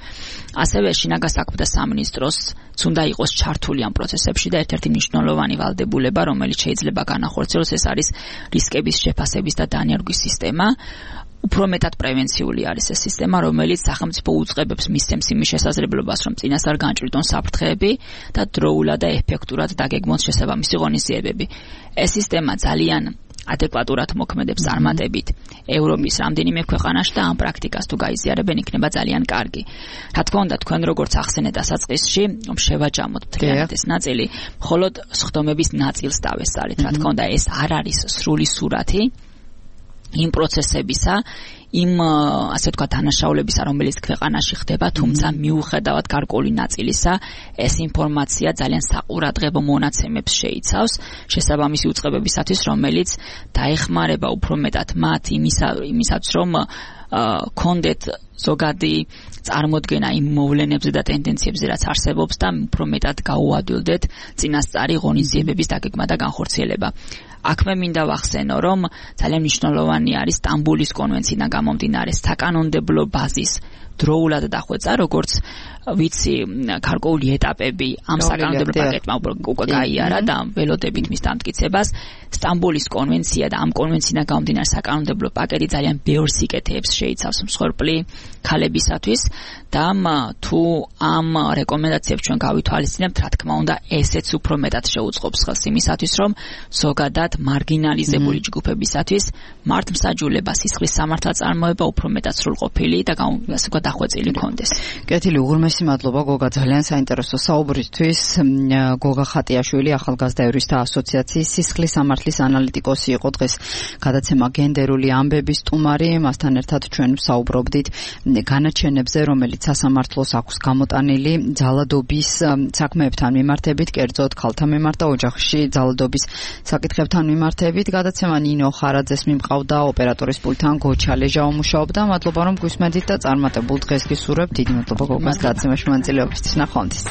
ასევე შინაგან საქმეთა სამინისტროს უნდა იყოს ჩართული ამ პროცესებში და ერთ-ერთი მნიშვნელოვანი ვალდებულება, რომელიც შეიძლება განახორციელოს, ეს არის რისკების შეფასების და დანერგვის სისტემა. უფრო მეტად პრევენციული არის ეს სისტემა, რომელიც სახელმწიფო უწყებებს მისცემს იმის შესაძლებლობას, რომ წინასწარ განჭვრიტონ საფრთხეები და დროულად და ეფექტურად დაგეგმოს შესაბამისი ღონისძიებები. ეს სისტემა ძალიან ადეკვატურად მოქმედებს წარმატებით ევროპის რამდენიმე ქვეყანაში და ამ პრაქტიკას თუ გაიზიარებენ, იქნება ძალიან კარგი. რა თქმა უნდა, თქვენ როგორც ახსენეთ დასაწყისში, შევაჯამოთ მთლიანად ეს ნაწილი, მხოლოდ სხდომების ნაწილს დავესწარით. რა თქმა უნდა, ეს არ არის სრული სურათი იმ პროცესებისა, იმ ასე ვთქვათ დანაშაულებისა, რომელიც ქვეყანაში ხდება, თუმცა მიუხედავად გარკვეული ნაწილისა, ეს ინფორმაცია ძალიან საყურადღებო მონაცემებს შეიცავს შესაბამისი უწყებებისათვის, რომელიც დაეხმარება უფრო მეტად მათ იმისაც, რომ კონდეთ ზოგადი წარმოდგენა იმ მოვლენებზე და ტენდენციებზე, რაც არსებობს და უფრო მეტად გაუადვილდეთ წინასწარი ღონისძიებების დაგეგმა და განხორციელება. აქ მე მინდა ვახსენო, რომ ძალიან მნიშვნელოვანი არის სტამბულის კონვენციიდან გამომდინარე საკანონმდებლო ბაზის დროულად დახვეწა, როგორც ვიცი, გარკვეული ეტაპები ამ საკანონმდებლო პაკეტმა უკვე გაიარა და ველოდებით მის დამტკიცებას. სტამბულის კონვენცია და ამ კონვენციიდან გამომდინარე საკანონმდებლო პაკეტი ძალიან ბევრ სიკეთეებს შეიცავს მსხვერპლი ქალებისათვის და თუ ამ რეკომენდაციებს ჩვენ გავითვალისწინებთ, რა თქმა უნდა, ესეც უფრო მეტად შეუწყობს ხელს იმისათვის, რომ ზოგადად მარგინალიზებული ჯგუფებისათვის მართლმსაჯულება, სისხლის სამართალწარმოება უფრო მეტად სრულყოფილი და დახვეწილი კონდეს. კეთილი, უღრმესი მადლობა გოგა, ძალიან საინტერესო საუბრისთვის. გოგა ხატიაშვილი, ახალგაზრდა იურისტთა ასოციაციის სისხლის სამართლის ანალიტიკოსი იყო დღეს გადაცემა გენდერული ამბები სტუმარი. მასთან ერთად ჩვენ ვსაუბრობდით განაჩენებზე, რომელიც სასამართლოს აქვს გამოტანილი ძალადობის საქმეებთან მიმართებით, კერძოდ ქალთა მიმართ და ოჯახში ძალადობის საკითხებთან მიმართებით. გადაცემა ნინო ხარაძეს მიმყავდა, ოპერატორის პულტთან გოჩა ლეჟაო მუშაობდა. მადლობა რომ გვისმენთ და წარმატებულ დღეს გისურვებთ. დიდი მადლობა გოგას გადაცემაში მონაწილეობისთვის. ნახვამდის.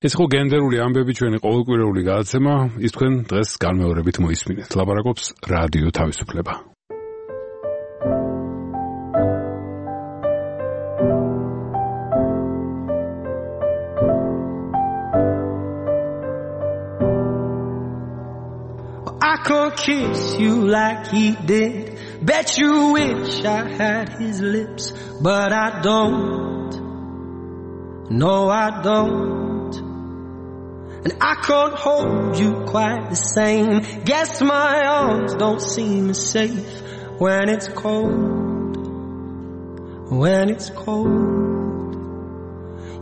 ეს ხო გენდერული ამბები ჩვენი ყოველკვირეული გადაცემა, ის თქვენ დღეს განმეორებით მოისმინეთ. ლაპარაკობს რადიო თავისუფლება. I could kiss you like he did. Bet you wish I had his lips, but I don't. No, I don't. And I can't hold you quite the same. Guess my arms don't seem as safe when it's cold. When it's cold.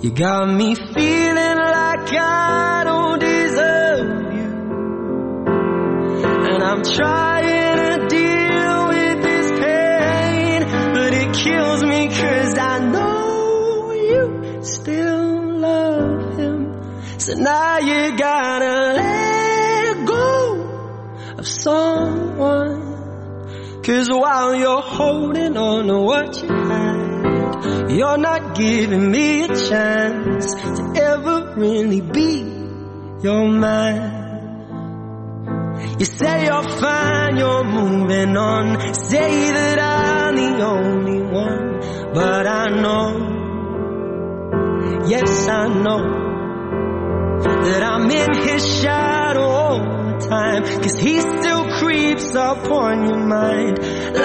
You got me feeling like I don't deserve you. And I'm trying to deal with this pain, but it kills me 'cause I know you still love him. So now you gotta let go of someone. 'Cause while you're holding on to what you had, you're not giving me a chance to ever really be your man. You say you're fine, you're moving on. Say that I'm the only one. But I know, yes I know, that I'm in his shadow all the time. 'Cause he still creeps up on your mind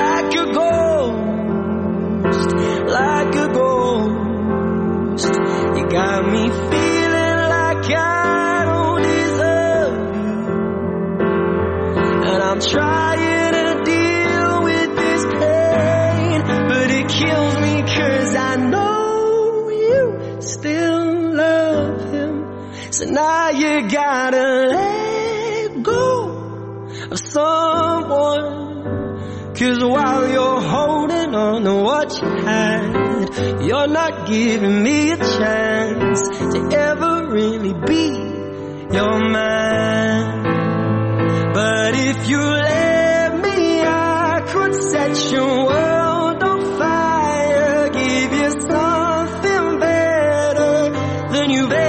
like a ghost, like a ghost. You got me feeling like I don't deserve you. And I'm trying to deal with this pain, but it kills me 'cause I know you still love him. So now you gotta let go of someone. 'Cause while you're holding on to what you had, you're not giving me a chance to ever really be your man. But if you let me, I could set your world on fire, give you something better than you've ever